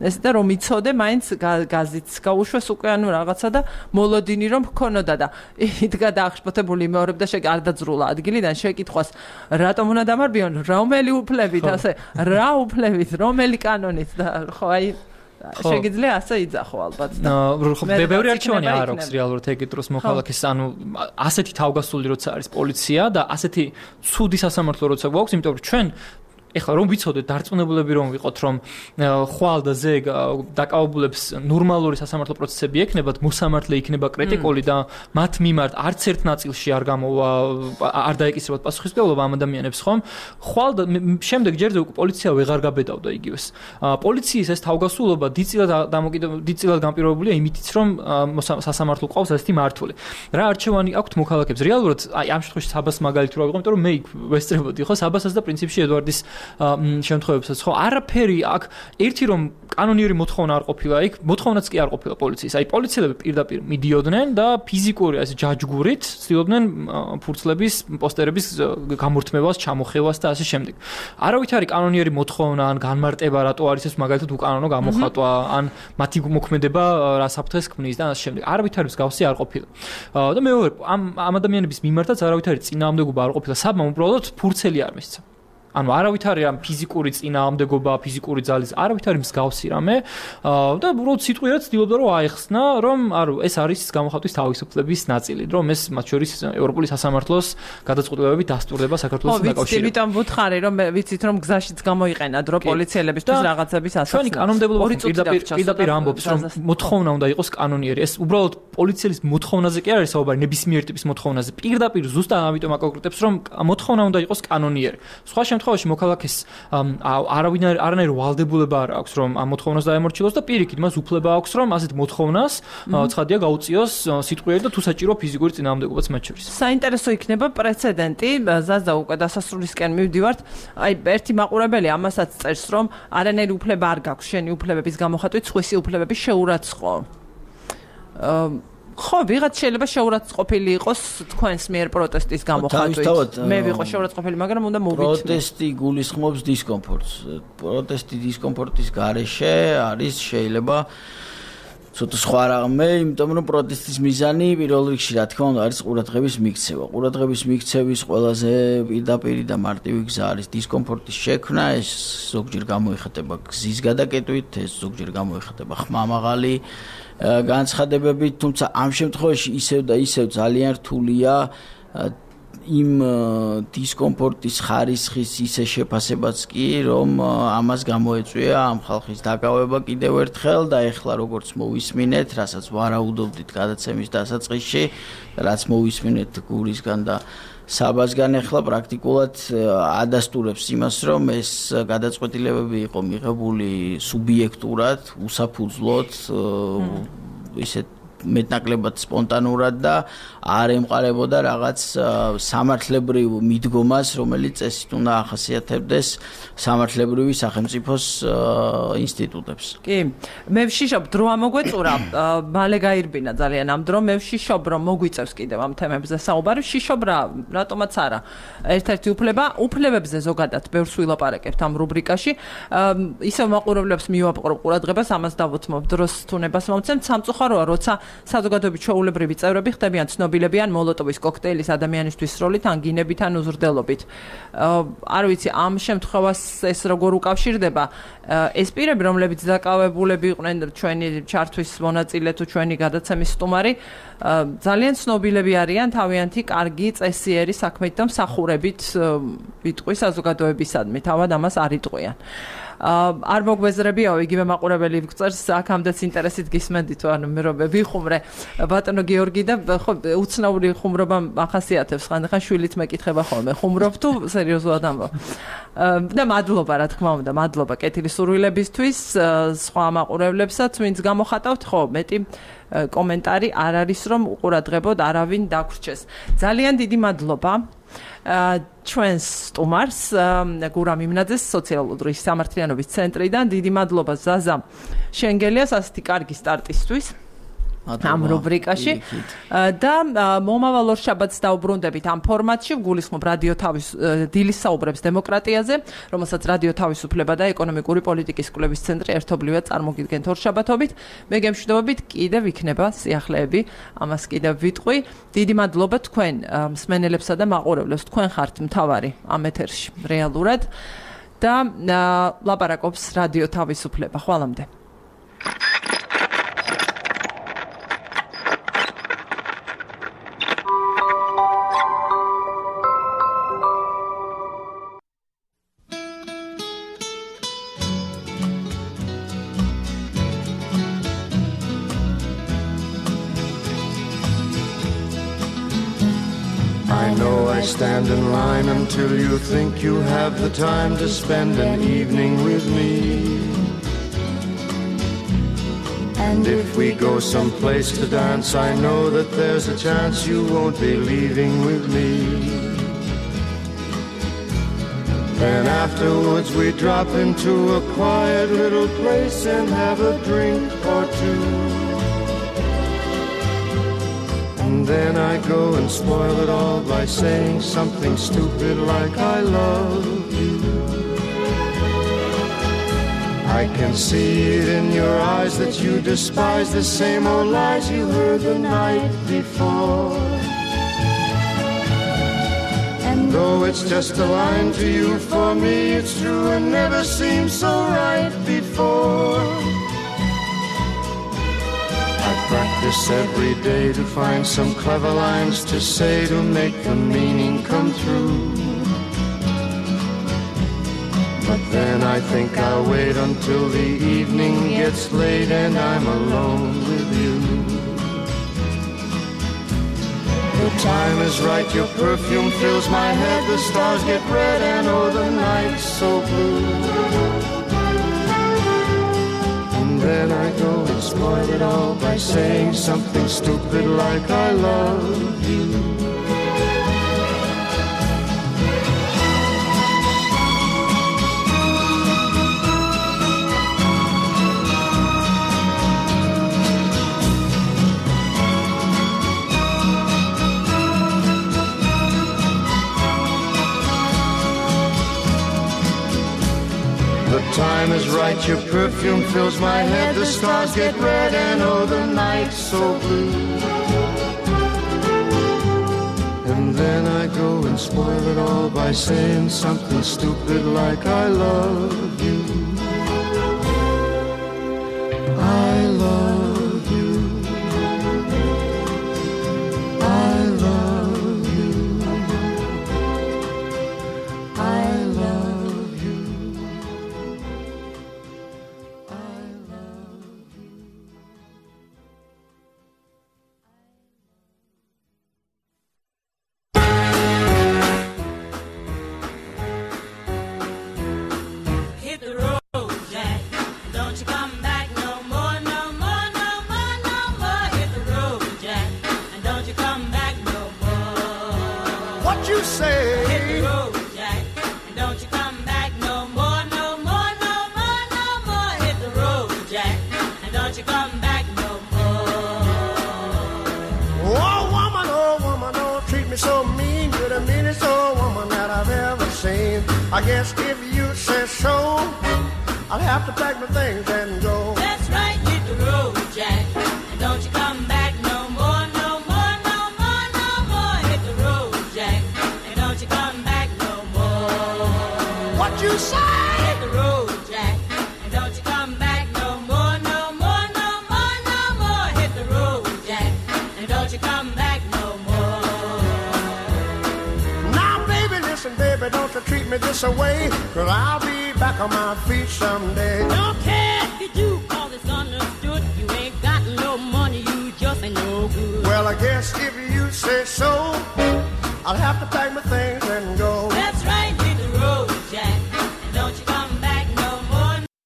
[SPEAKER 1] ეს და რომ იცოდე მაინც გაზიც გაუშვეს უკვე ანუ რაღაცა და მოლოდინი რომ ჰქონოდა და იდგა დაახშფოთებული მეორებ და შეგარდაძრულა ადგილიდან შეკითხვას რატომ უნდა დამარბიონ რომელი უფლებით ასე რა უფლებით რომელი კანონით და ხო აი შეგიძლია ასე იძახო ალბათ და
[SPEAKER 4] ხო ბევრი არჩევანი არ აქვს რეალურად ეგეთ დროს მოხალხეს ანუ ასეთი თავგასული როცა არის პოლიცია და ასეთი ცუდი სასამართლო როცა გვაქვს იმიტომ რომ ჩვენ ეხლა რომ ვიცოდეთ დარწმუნებულები რომ ვიყოთ რომ ხვალ და ზეგ დაკავებულებს ნორმალური სასამართლო პროცესები ექნებათ მოსამართლე იქნება კრიტიკული და მათ მიმართ არც ერთ ნაწილში არ გამოვა არ დაეკისრებათ პასუხისმგებლობა ამ ადამიანებს ხომ ხვალ და შემდეგ ჯერზე უკვე პოლიცია ვეღარ გაბედავდა იგივეს პოლიციის ეს თავგასულობა დიდწილად დამოკიდებული დიდწილად განპირობებულია იმითიც რომ სასამართლო ყავს ასეთი მართული რა არჩევანი აქვთ მოქალაქეებს რეალურად აი ამ შემთხვევაში საბას მაგალითად რა ვიყო იმიტომ რომ მე იქ ვესწრებოდი ხო საბასაც და პრინციპში ედვარდის შემთხვევებსაც ხო არაფერი აქ ერთი რომ კანონიერი მოთხოვნა არ ყოფილა იქ მოთხოვნაც კი არ ყოფილა პოლიციის აი პოლიციელები პირდაპირ მიდიოდნენ და ფიზიკური ასე ჯაჯგურით ცდილობდნენ ფურცლების პოსტერების გამორთმევას ჩამოხევას და ასე შემდეგ არავით არის კანონიერი მოთხოვნა ან განმარტება რატო არის ეს მაგალითად უკანონო გამოხატვა ან მათი მოქმედება რა საფრთხეს ქმნის და ასე შემდეგ არავით არის გავსი არ ყოფილა და მეორე ამ ამ ადამიანების მიმართაც არავით არის წინააღმდეგობა არ ყოფილა საბამ უბრალოდ ფურცელი არ მისცა ანუ არავით არის ამ ფიზიკური წინააღმდეგობა, ფიზიკური ძალის, არავით არის მსგავსი რამე და უბრალოდ სიტყვიერად ცდილობდა რომ აეხსნა, რომ არო ეს არის გამოხატვის თავისუფლების ნაწილი, რომ ეს მათ შორის ევროპული სასამართლოს გადაწყვეტილებები დასტურდება საქართველოს დაკავშირებით.
[SPEAKER 1] ხო, იმიტომ ვუთხარი რომ ვიცით რომ გზაშიც გამოიყენათ რომ პოლიციელებისთვის რაღაცების ასახსნა.
[SPEAKER 4] ჩვენი კანონმდებლობა პირდაპირ პირდაპირ ამბობს რომ მოთხოვნა უნდა იყოს კანონიერი. ეს უბრალოდ პოლიციის მოთხოვნაზე კი არის საუბარი, ნებისმიერ ტიპის მოთხოვნაზე. პირდაპირ ზუსტად ამიტომ აკონკრეტებს რომ მოთხოვნა უნდა იყოს კანონიერი. სხვა შემთხვევაში მოქალაქეს არავინ არანაირი ვალდებულება არ აქვს რომ ამ მოთხოვნას დაემორჩილოს და პირიქით მას უფლება აქვს რომ ასეთ მოთხოვნას ცხადია გაუწიოს სიტყვიერი და თუ საჭირო ფიზიკური წინააღმდეგობაც მათ შორის.
[SPEAKER 1] საინტერესო იქნება პრეცედენტი ზაზა უკვე დასასრულისკენ მივდივართ აი ერთი მაყურებელი ამასაც წერს რომ არანაირი უფლება არ გაქვს შენი უფლებების გამოხატვით სხვისი უფლებები შეურაცხყო ხო, ვიღაც შეიძლება შეურაცხყოფილი იყოს თქვენს მიერ პროტესტის გამოხატვით. მე ვიყო შეურაცხყოფილი, მაგრამ უნდა მოვიცნო.
[SPEAKER 2] პროტესტი გულისხმობს დისკომფორტს. პროტესტი დისკომფორტის გარეშე არის შეიძლება ცოტა სხვა რამე, იმიტომ რომ პროტესტის მიზანი პირველ რიგში რა თქმა უნდა არის ყურადღების მიქცევა. ყურადღების მიქცევის ყველაზე პირდაპირი და მარტივი გზა არის დისკომფორტის შექმნა, ეს ზოგჯერ გამოიხატება გზის გადაკეტვით, ეს ზოგჯერ გამოიხატება ხმამაღალი განცხადებებით, თუმცა ამ შემთხვევაში ისევ და ისევ ძალიან რთულია იმ დისკომფორტის ხარისხის ისე შეფასებაც კი, რომ ამას გამოეწვია ამ ხალხის დაკავება კიდევ ერთხელ და ეხლა როგორც მოვისმინეთ, რასაც ვარაუდობდით გადაცემის დასაწყისში, რაც მოვისმინეთ გურისგან და საბაზგან ეხლა პრაქტიკულად ადასტურებს იმას, რომ ეს გადაწყვეტილებები იყო მიღებული სუბიექტურად, უსაფუძვლოდ, ისეთ მეტნაკლებად სპონტანურად და არ ემყარებოდა რაღაც სამართლებრივ მიდგომას, რომელიც წესით უნდა ახასიათებდეს სამართლებრივი სახელმწიფოს ინსტიტუტებს.
[SPEAKER 1] კი, მე ვშიშობ დრო ამოგვეწურა, მალე გაირბინა ძალიან ამ დრო, მე ვშიშობ რომ მოგვიწევს კიდევ ამ თემებზე საუბარი, ვშიშობ რა, რატომაც არა. ერთ-ერთი უფლება, უფლებებზე ზოგადად ბევრს ვილაპარაკებთ ამ რუბრიკაში. ისევ მაყურებლებს მივაპყრობ ყურადღებას, ამას დავუთმობ დროს თუნებას მომცემთ. სამწუხაროა, როცა საზოგადოების ჩვეულებრივი წევრები ხდებიან ცნობილები ან მოლოტოვის კოქტეილის ადამიანისთვის როლით ან გინებით ან უზრდელობით. არ ვიცი, ამ შემთხვევას ეს როგორ უკავშირდება ეს პირები, რომლებიც დაკავებულები იყვნენ ჩვენი ჩართვის მონაწილე თუ ჩვენი გადაცემის სტუმარი, ძალიან ცნობილები არიან თავიანთი კარგი წესიერი საქმით და მსახურებით ვიტყვი საზოგადოებისადმი, თავად ამას არ იტყვიან. არ მოგვეზრებიაო, იგივე მაყურებელი გწერს, აქამდეც ინტერესით გისმენდით, ანუ მე რომ ვიხუმრე ბატონო გიორგი და ხო უცნაური ხუმრობა ახასიათებს, ხანდახან შვილით მეკითხება ხოლმე, ხუმრობ თუ სერიოზულად ამბობ. და მადლობა, რა თქმა უნდა, მადლობა კეთილი სურვილებისთვის, სხვა მაყურებლებსაც, ვინც გამოხატავთ, ხო, მეტი კომენტარი არ არის, რომ უყურადღებოდ არავინ დაგვრჩეს. ძალიან დიდი მადლობა ჩვენს სტუმარს გურამ იმნაძეს სოციალური სამართლიანობის ცენტრიდან. დიდი მადლობა ზაზა შენგელიას ასეთი კარგი სტარტისთვის ამ რუბრიკაში და მომავალ ორშაბათს დაუბრუნდებით ამ ფორმატში. გულისხმობ რადიო თავის დილის საუბრებს დემოკრატიაზე, რომელსაც რადიო თავისუფლება და ეკონომიკური პოლიტიკის კვლევის ცენტრი ერთობლივად წარმოგიდგენთ ორშაბათობით. მე გემშვიდობებით, კიდევ იქნება სიახლეები, ამას კიდევ ვიტყვი. დიდი მადლობა თქვენ მსმენელებსა და მაყურებლებს, თქვენ ხართ მთავარი ამ ეთერში რეალურად და ლაპარაკობს რადიო თავისუფლება. ხვალამდე.
[SPEAKER 6] Stand in line until you think you have the time to spend an evening with me. And if we go someplace to dance, I know that there's a chance you won't be leaving with me. Then afterwards we drop into a quiet little place and have a drink or two. And then I go and spoil it all by saying something stupid like I love you. I can see it in your eyes that you despise the same old lies you heard the night before. And though it's just a line to you, for me it's true and never seemed so right before. Practice every day to find some clever lines to say to make the meaning come through. But then I think I'll wait until the evening gets late and I'm alone with you. The time is right, your perfume fills my head, the stars get red and oh the night's so blue. Then I go and spoil it all by saying something stupid like I love you. The time is right, your perfume fills my head, the stars get red and oh the night's so blue. And then I go and spoil it all by saying something stupid like I love you. I love you. I love you. I guess if you say so, I'll have to pack my things and go.
[SPEAKER 7] That's right, hit the road, Jack. And don't you come back no more, no more, no more, no more. Hit the road, Jack. And don't you come back no more.
[SPEAKER 6] What you say?
[SPEAKER 7] Hit the road, Jack. And don't you come back no more, no more, no more, no more. Hit the road, Jack. And don't you come back no more.
[SPEAKER 6] Now, baby, listen, baby, don't you treat me this away, 'cause I'll be back on my feet someday.
[SPEAKER 7] Don't care if you do, 'cause it's understood. You ain't got no money, you just ain't no good.
[SPEAKER 6] Well, I guess if you say so, I'll have to pack